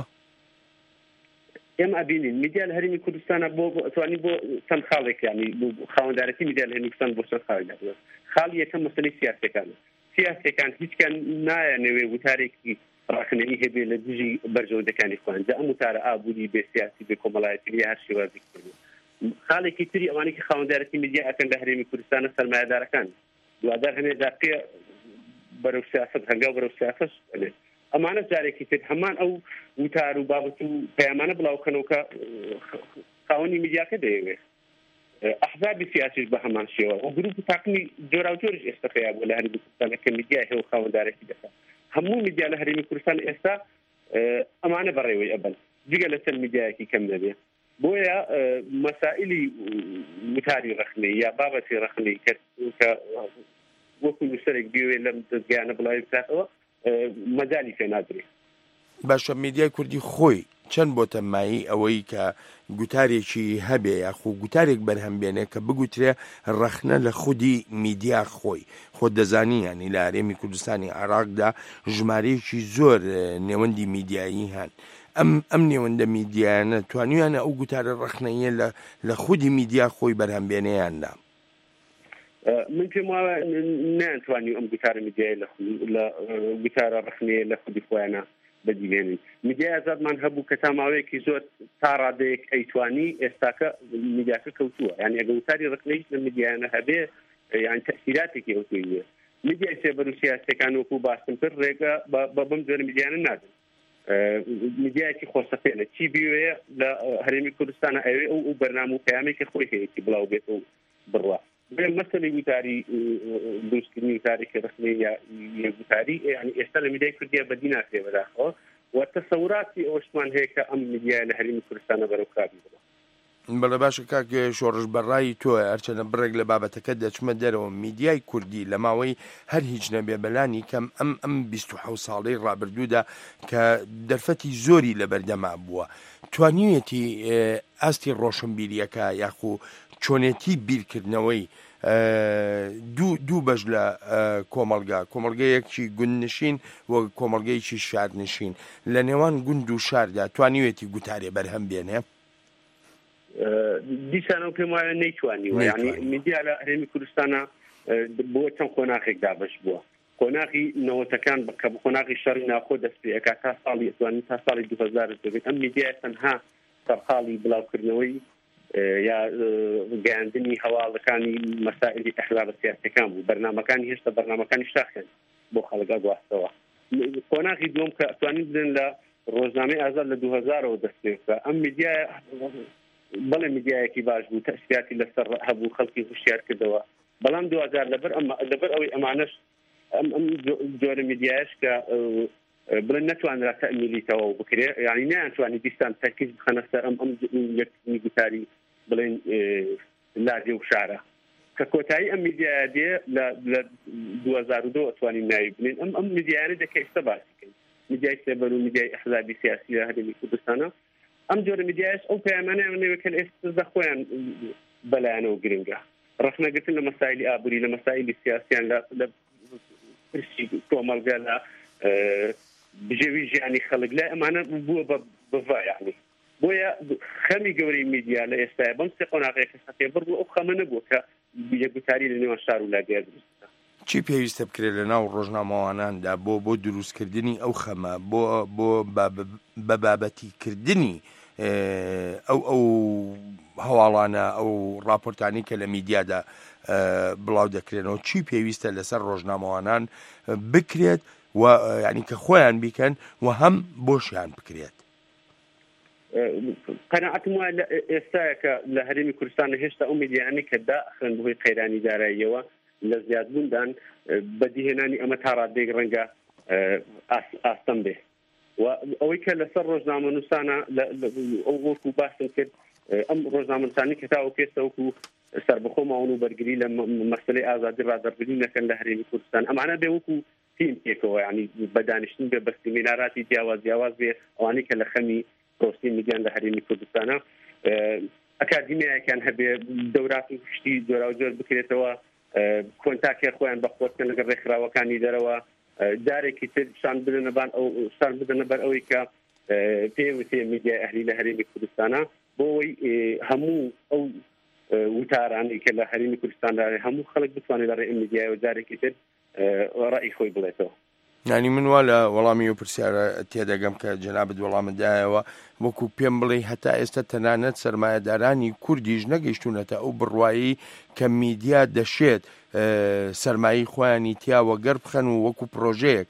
ئێمە ئەبینین میدیا لە هەرێمی کوردستانە بۆ توانی بۆ چەند خاڵێک، یعنی خاوەندارەتی میدیا لە هەرێمی کوردستان بۆ چەند خاڵێک دابنێت. خاڵی یەکەم مەسەلەی سیاسیەکانە. سیاسیەکان هیچکان نایانەوێ وتارێکی ڕەخنەیی هەبێ لە دژی بەرژەوەندەکانی خۆیان، جا ئەم وتارە ئابووری بێ سیاسی بێ کۆمەڵایەتی بێ هەر شێوازێکی تر بێ. خاڵێکی تری ئەوانەی کە خاوەندارەتی میدیا ئەکەن لە هەرێمی کوردستانە سەرمایەدارەکان، دوادار هەنێ جار پێ بەرەو سیاسەت هەنگاو بەرەو سیاسەت ئەنێت. ئەمانە جارێکی تر هەمان ئەو وتار و بابەت و پەیامانە بڵاوکەنەوە کە خاوەنی میدیاکە دەیەوێت. ئەحزابی سیاسیش بە هەمان شێوە و گروپ و تاقمی جۆراوجۆریش ئێستا پەیا بووە لە هەرێمی کوردستان کە میدیای هەیە و خاوەندارێتی دەکات. هەموو میدیا لە هەرێمی کوردستان ئێستا ئەمانە بەڕێوەی ئەبن، جگە لە چەند میدیایەکی کەم نەبێ. بۆیە مەسائلی وتاری ڕەخنەی یا بابەتی ڕەخنەی کە وەکو نووسەرێک بیەوێت لەم دەستگایانە بڵاوی بکاتەوە مەجالی پێ نادرێت. باشە میدیای کوردی خۆی چەند بۆتە مایەی ئەوەی کە گوتارێکی هەبێ یاخو گوتارێک بەرهەم بێنێ کە بگوترێ ڕەخنە لە خودی میدیا خۆی؟ خۆت دەزانی یانی لە هەرێمی کوردستانی عێراقدا ژمارەیەکی زۆر نێوەندی میدیایی هەن، ئەم ئەم نێوەندە میدیایانە توانیویانە ئەو گوتارە ڕەخنەیە لە لە خودی میدیا خۆی بەرهەم بێنێ یان نا؟ من پێم وایە نەیانتوانی ئەم گوتارە میدیای لە گوتارە ڕەخنەیە لە خودی خۆیانە بەدیبێنن. میدیای ئازادمان هەبوو کە تا ماوەیەکی زۆر تا ڕادەیەک ئەیتوانی، ئێستاکە میدیاکە کەوتووە. یعنی ئەگە وتاری ڕەخنەیش لە میدیایانە هەبێ یان تەئسیراتێکی ئەوتۆی نییە. میدیای سێبەر و سیاسیەکان وەکو باسم کرد ڕێگە بە بەم جۆرە میدیانە نادەن. میدیایەکی خۆسەپێنە چی بیوێ لە هەرێمی کوردستانە ئەوێ ئەو ئەو بەرنامە و پەیامێکی خۆی هەیەی بڵاو بێت و بڕوا. بۆیە مەسەلەی وتاری دروستکردنی وتارێکی ڕەخنەی یا گوتاری یعنی ئێستا لە میدیای کوردیا بەدی ناکرێ بەداخەوە و تەسەوراتی ئەوەشمان هەیە کە ئەم میدیایە لە هەرێمی کوردستانە بەرەو خراپی بڕوا. بەڵێ باشە کاک شۆڕش، بەڕای تۆ هەرچەنە بڕێک لە بابەتەکە دەچمە دەرەوە، میدیای کوردی لە ماوەی هەر هیچ نەبێ بەلانی کەم ئەم ئەم بیست و حەوت ساڵەی ڕابردوودا کە دەرفەتی زۆری لەبەردەما بووە، توانیویەتی ئاستی ڕۆشنبیریەکە یاخو چۆنێتی بیرکردنەوەی دوو دوو بەش لە کۆمەڵگا، کۆمەڵگەیەکی گوندنشین و کۆمەڵگەیەکی شارنشین، لە نێوان گوند و شاردا توانیویەتی گوتارێ بەرهەم بێنێ؟ دیسانەوە پێم وایە نەیتوانیوە. یعنی میدیا لە هەرێمی کوردستانە بۆ چەند قۆناغێک دابەش بووە. قۆناغی نەوەتەکان کە بە قۆناغی شەڕی ناوخۆ دەست پێ ئەکات تا ساڵی ئەتوانین تا ساڵی دوو هەزار دەبێت، ئەم میدیای تەنها سەرقاڵی بڵاوکردنەوەی یا گەیاندنی هەواڵەکانی مەسائلی ئەحزابە سیاسیەکان بوو. بەرنامەکانی هێشتا بەرنامەکانی شاخیان بۆ خەڵک ئەگواستەوە. قۆناغی دووەم کە ئەتوانین بڵێن لە ڕۆژنامەی ئازاد لە دوو هەزارەوە دەست پێ بکە، ئەم میدیای بەڵێ میدیایەکی باش بوو، تەئسیراتی لەسەر هەبوو، خەڵکی هوشیار کردەوە. بەڵام دوجار لەبەر لەبەر ئەوەی ئەمانەش ئەم ئەم جۆرە میدیایش کە بڵێن نەتوانرا تەئمیلی تەواو بکرێ، یعنی نەیانتوانی دیستان تەرکیز بخەنە سەر ئەم ئەم یەکردنی گوتاری بڵێن لادێ و شارە کە کۆتایی ئەم میدیایە دێ لە دوو هەزار و دوو ئەتوانین ناوی بنێین. ئەم ئەم میدیایانە دێ کە ئێستا باسی کەین، میدیای سێبەر و میدیای ئەحزابی سیاسی لە هەرێمی کوردستانە. ئەم جۆرە میدیایش ئەو پەیامانەیان نەوێت کە لە ئێستادا خۆیان بەلایەنەوە گرنگە. ڕەخنەگرتن لە مەسایلی ئابووری، لە مەسایلی سیاسیان، لە پرسی کۆمەڵگە، لە بژێوی ژیانی خەڵک، لای ئەمانە بووە بە بڤا. یعنی بۆیە خەمی گەورەی میدیا لە ئێستاە بەم سێ قۆناغەیە کە سەپێبڕ بوو ئەو خەمە نەبووە کە یەکگوتاری لە نێوان شار و لادێ دروست بکات. چی پێویستە بکرێت لە ناو ڕۆژنامەواناندا بۆ بۆ دروستکردنی ئەو خەمە، بۆ بۆ بە بابەتیکردنی ئەو ئەو هەواڵانە، ئەو راپۆرتانی کە لە میدیادا بڵاو دەکرێنەوە، چی پێویستە لەسەر ڕۆژنامەوانان بکرێت و یعنی کە خۆیان بیکەن و هەم بۆشیان بکرێت؟ قەناعەتم وایە لە ئێستاە کە لە هەرێمی کوردستان هێشتا ئەو میدیانەی کە داخرن بەهۆی قەیرانی داراییەوە لە زیادبووندان، بەدیهێنانی ئەمە تا ڕادەیەک ڕەنگە ئاستەم بێ. و ئەوەی کە لەسەر ڕۆژنامەنووسانە ئەو وەکو باسم کرد، ئەم ڕۆژنامەنووسانی کە تاوەکو ئێستا وەکو سەربەخۆ ماون و بەرگری لە مەسەلەی ئازادی ڕادەربڕین نەکەن لە هەرێمی کوردستان، ئەمانە بێ وەکو تیم پێکەوە، یعنی بە دانیشتن بێ، بە سیمیناراتی جیاواز جیاواز بێ، ئەوانەی کە لە خەمی پرۆسی میدیان لە هەرێمی کوردستانە ئەکادیمیایەکیان هەبێ، دەورات و شتی جۆراوجۆر بکرێتەوە، کۆنتاکێ خۆیان بە خۆت بکەن لەگەڵ ڕێکخراوەکانی دەرەوە، جارێکی تر شان بدەنە بان ئەو شان بدەنە بەر ئەوەی کە پێوتێ میدیای ئەهلی لە هەرێمی کوردستانە، بۆ ئەوەی هەموو ئەو وتارانەی کە لە هەرێمی کوردستاندا هەموو خەڵک بتوانێت لە ڕێی ئەم میدیایەوە جارێکی تر ڕەئی خۆی بڵێتەوە. یعنی من وا لە وەڵامی ئەو پرسیارە تێدەگەم کە جەنابت وەڵامت دایەوە، وەکو پێم بڵێ هەتا ئێستا تەنانەت سەرمایەدارانی کوردیش نەگەیشتونەتە ئەو بڕوایی کە میدیا دەشێت سەرمایەی خۆیانی تیاوە گەر بخەن و وەکو پرۆژەیەک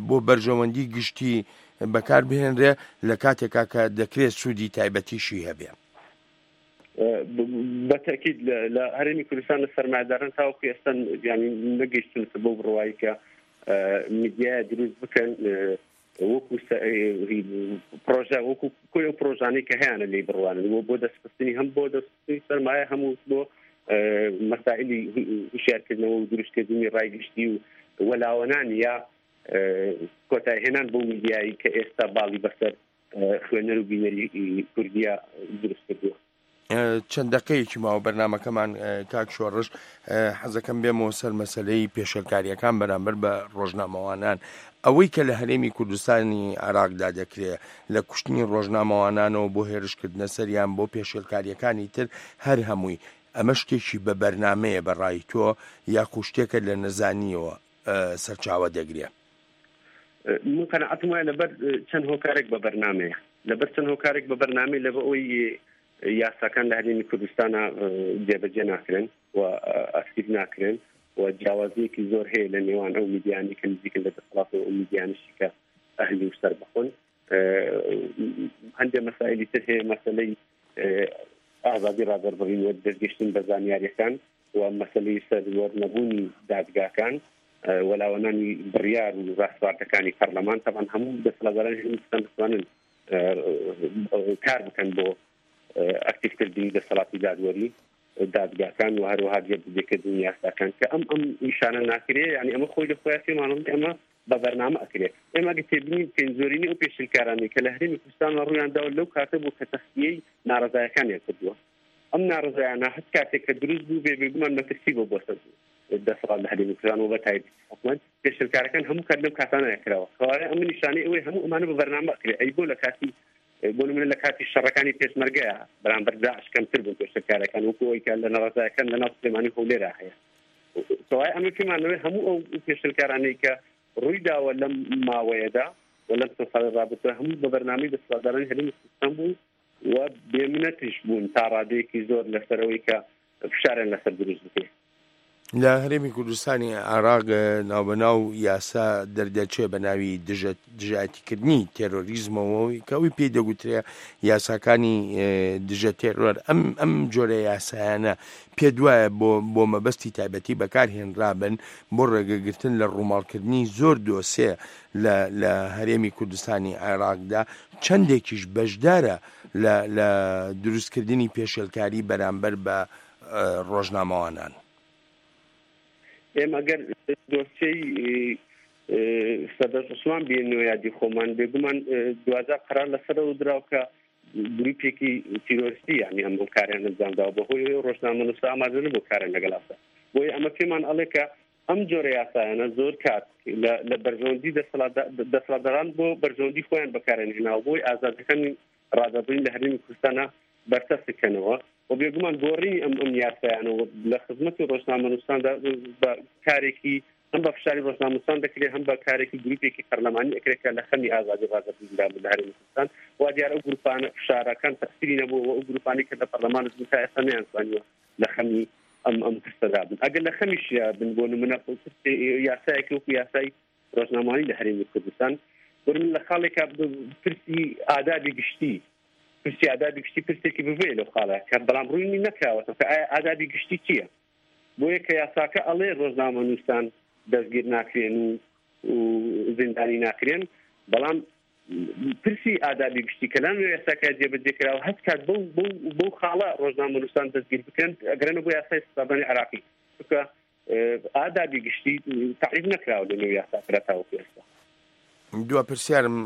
بۆ بەرژەوەندی گشتی بەکار بهێنرێ لە کاتێکا کە دەکرێت سوودی تایبەتیشی هەبێ. بە تەئکید لە هەرێمی کوردستان لە سەرمایەداران تاوەکو ئێستا یانی نەگەیشتونەتە بەو بڕوایی کە میدیایە دروست بکەن وەکو پرۆژە وەکو کۆی ئەو پرۆژانەی کە هەیانە لێی بڕوانن بۆ بۆ دەستخستنی هەم بۆ دەستخستنی سەرمایە هەموو بۆ مەسائلی هوشیارکردنەوە و دروستکردنی ڕای گشتی و وەلاوەنان یا کۆتایهێنان بۆ میدیایی کە ئێستا باڵی بەسەر خوێنەر و بینەری کوردیا دروست کردووە. چەند دقەیەکی ماوە بەرنمەکەمان کاک شۆڕش، حەزەکەم بێمەوە سەر مەسلەی پێشێلکاریەکان بەرامبەر بە ڕۆژنامەوانان. ئەوەی کە لە هەرێمی کوردستانی عێراقدا دەکرێت لە کوشتنی ڕۆژنامەوانانەوە بۆ هێرشکردنە سەریان بۆ پێشێلکاریەکانی تر هەر هەمووی ئەمە شتێکی بە بەرنمەیە بە ڕای تۆ یاخو شتێکە لە نەزانیەوە سەرچاوە دەگرێ؟ من قەناعەتم وایە لەبەر چەند هۆکارێک بە بەرنمەیە، لەبەر چەند هۆکارێک بە بەرنمەی لەبە ئەوەی یاساکان لە هەرێمی کوردستانە جێبەجێ ناکرێن و ئەکتیڤ ناکرێن و جیاوازیەکی زۆر هەیە لە نێوان ئەو میدیانی کە نزیکن لە دەسەڵات و ئەو میدیانشی کە ئەهلی و سەربەخۆن. هەندێک مەسائلی تر هەیە، مەسەلەی ئازادی ڕادەربڕین و دەستگەیشتن بە زانیاریەکان و مەسەلەی سەروەر نەبوونی دادگاکان وەلاوەنانی بڕیار و ڕاسپاردەکانی پەرلەمان. تەبعەن هەموو دەسەڵاتدارانی هەرێمی کوردستان دەتوانن کار بکەن بۆ ئەکتیڤکردنی دەسەڵاتی دادوەری دادگاکان و هەروەها جێبەجێکردنی یاساکان کە ئەم ئەم نیشانە ناکرێ. یعنی ئەمە خۆی لە خۆیان پێمانڵێ ئەمە بە بەرنامە ئەکرێ. ئێمە ئەگەر تێبینی بکەین زۆرینەی ئەو پێشلکارانەی کە لە هەرێمی کوردستان ڕوویان داوە لەو کاتە بوو کە تەخلیەی ناڕەزایەکانیان کردووە. ئەم ناڕەزایانە هەچ کاتێک کە دروست بوو بێ بێگومان مەترسی بۆ بۆ سەر دەسەڵات لە هەرێمی کوردستان و بە تایبەتی حکومەت. پێشلکارەکان هەموو کات لەو کاتانە کراوە. کەوایە ئەمە نیشانەی ئەوەی هەموو ئەمانە بە بەرنامە ئەکرێ. ئەی بۆ لە کاتی بۆ نمونە لە کاتی شەڕەکانی پێشمەرگەیە بەرامبەر داعش کەمتر بوون پێشلکارەکان وەکو ئەوەی کە لە ناڕەزایەکان لەناو سلێمانی هەولێرا هەیە. کەوایە ئەمە پێمانەوەی هەموو ئەو پێشلکارانەی کە ڕووی داوە لەم ماوەیەدا و لەم چەند ساڵی ڕابردووە هەموو بە بەرنامەی دەسەڵاتدارانی هەرێمی کوردستان بوو و بێمنەتیش بوون تا ڕادەیەکی زۆر لەسەرەوەی کە فشاریان لەسەر دروست بکرێت. لە هەرێمی کوردستانی عێراق ناوبەناو یاسا دەردەچێ بە ناوی دژایەتیکردنی تێرۆریزمەوە کە ئەوی پێی دەگوترێ یاساکانی دژە تێرۆر. ئەم ئەم جۆرە یاسایانە پێ دوایە بۆ بۆ مەبەستی تایبەتی بەکارهێنرابن بۆ ڕێگەگرتن لە ڕووماڵکردنی زۆر دۆسێ لە لە هەرێمی کوردستانی عێراقدا، چەندێکیش بەشدارە لە لە دروستکردنی پێشێلکاری بەرامبەر بە ڕۆژنامەوانان. ئێمە ئەگەر دۆسیەی سەدەش عوسمان بێنەوە یادی خۆمان، بێگومان دوجار قرار لەسەرەوە دراو کە گروپێکی تیرۆریستی یعنی ئەم کاریان ئەنجام داوە، بەهۆی ئەوەی ڕۆژنامەنووسە ئامادە نەبوو کاریان لەگەڵ ئاسا. بۆیە ئەمە پێمان ئەڵێ کە ئەم جۆرە یاسایانە زۆر کات لە بەرژەوەندی دەسەڵاتداران بۆ بەرژەوەندی خۆیان بەکارێن هێناوە، بۆی ئازادەکانی ڕادەبڕین لە هەرێمی کوردستانە بەرتەسکەنەوە و بێگومان گۆڕینی ئەم ئەم یاسایانەوە لە خزمەتی ڕۆژنامەنووساندا بە کارێکی هەم بە فشاری ڕۆژنامەنووسان دەکرێت، هەم بە کارێکی گروپێکی پەرلەمانی ئەکرێت کە لە خەمی ئازادی ڕادەبڕیندا بوو لە هەرێمی کوردستان. وا دیارە ئەو گروپانە فشارەکان تەئسیری نەبوو و ئەو گروپانەی کە لە پەرلەمان بوون تا ئێستا نەیانتوانیوە لە خەمی ئەم ئەم پرسەدا بن. ئەگەر لە خەمیشیا بن بۆ نمونە یاسایەکی وەکو یاسای ڕۆژنامەوانی لە هەرێمی کوردستان، بۆ نمونە لە خاڵێکا پرسی ئادابی گشتی، پرسی ئادابی گشتی پرسێکی ببێ لەو خاڵە کە بەڵام ڕووی نەکراوەتەوە کە ئایا ئادابی گشتی چییە؟ بۆیە کە یاساکە ئەڵێ ڕۆژنامەنووسان دەستگیر ناکرێن و زیندانی ناکرێن، بەڵام پرسی ئادابی گشتی کە لەم یاساکە جێبەجێ کراوە هەچ کات بەو بەو خاڵە ڕۆژنامەنووسان دەستگیر بکرێن ئەگەرنە بۆ یاسای سزادانی عێراقی، چونکە ئادابی گشتی تەعریف نەکراوە لەنێو یاساکە تاوەکو ئێستا. دوا پرسیارم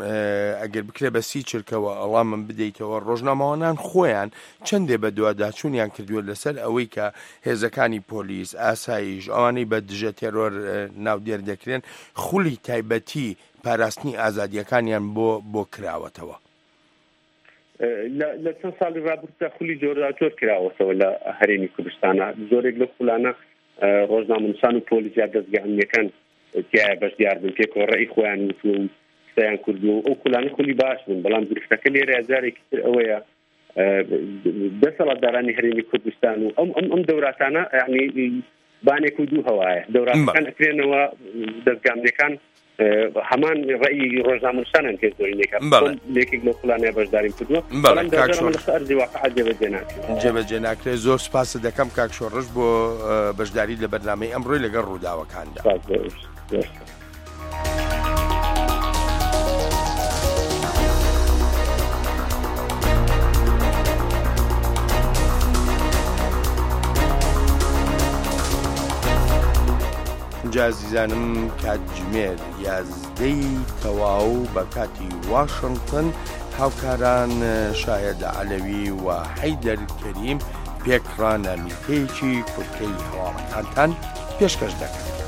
ئەگەر بکرێ بە سی چرکەوە ئەڵامم بدەیتەوە، ڕۆژنامەوانان خۆیان چەندێ بە دوواداچوونیان کردووە لەسەر ئەوەی کە هێزەکانی پۆلیس، ئاسایش، ئەوانەی بە دژە تێرۆر ناودێر دەکرێن خولی تایبەتی پاراستنی ئازادیەکانیان بۆ بۆ کراوەتەوە؟ لە چەند ساڵی ڕابردوودا خولی جۆراجۆر کراوەتەوە لە هەرێمی کوردستانە. زۆرێک لەو خولانە ڕۆژنامەنووسان و پۆلیس یا دەزگا ئەمنیەکان تیایە بەشدار بن، پێکەوە ڕەئی خۆیان وتووە و قسەیان کردووە و ئەو خولانە خولی باش بوون. بەڵام گرفتەکە لێرە جارێکی تر ئەوەیە دەسەڵاتدارانی هەرێمی کوردستان و ئەم ئەم ئەم دەوراتانە یعنی بانێک و دوو هەوایە، دەوراتەکان ئەکرێنەوە، دەزگا ئەمنیەکان هەمان ڕەئی ڕۆژنامەنووسانان پێ زۆرینێکە یەکێک لەو خولانەیە بەشداریم کردووە بەڵێ کاک شۆڕش لەسەر ئەرزی واقع جێبەجێ ناکرێت. جێبەجێ ناکرێت. زۆر سپاست دەکەم کاک شۆڕش بۆ بەشداری لە بەرنامەی ئەمڕۆی لەگەڵ ڕووداوەکاندا. سپاس بۆ ئێوەش. زۆر سپاس. جا ئازیزانم کاتژمێر یازدەی تەواو بە کاتی واشنگتن هاوکاران شایەد عەلەوی و حەیدەر کەریم پێکڕا نامیلکەیەکی کورتەی هەواڵەکانتان پێشکەش دەکەن.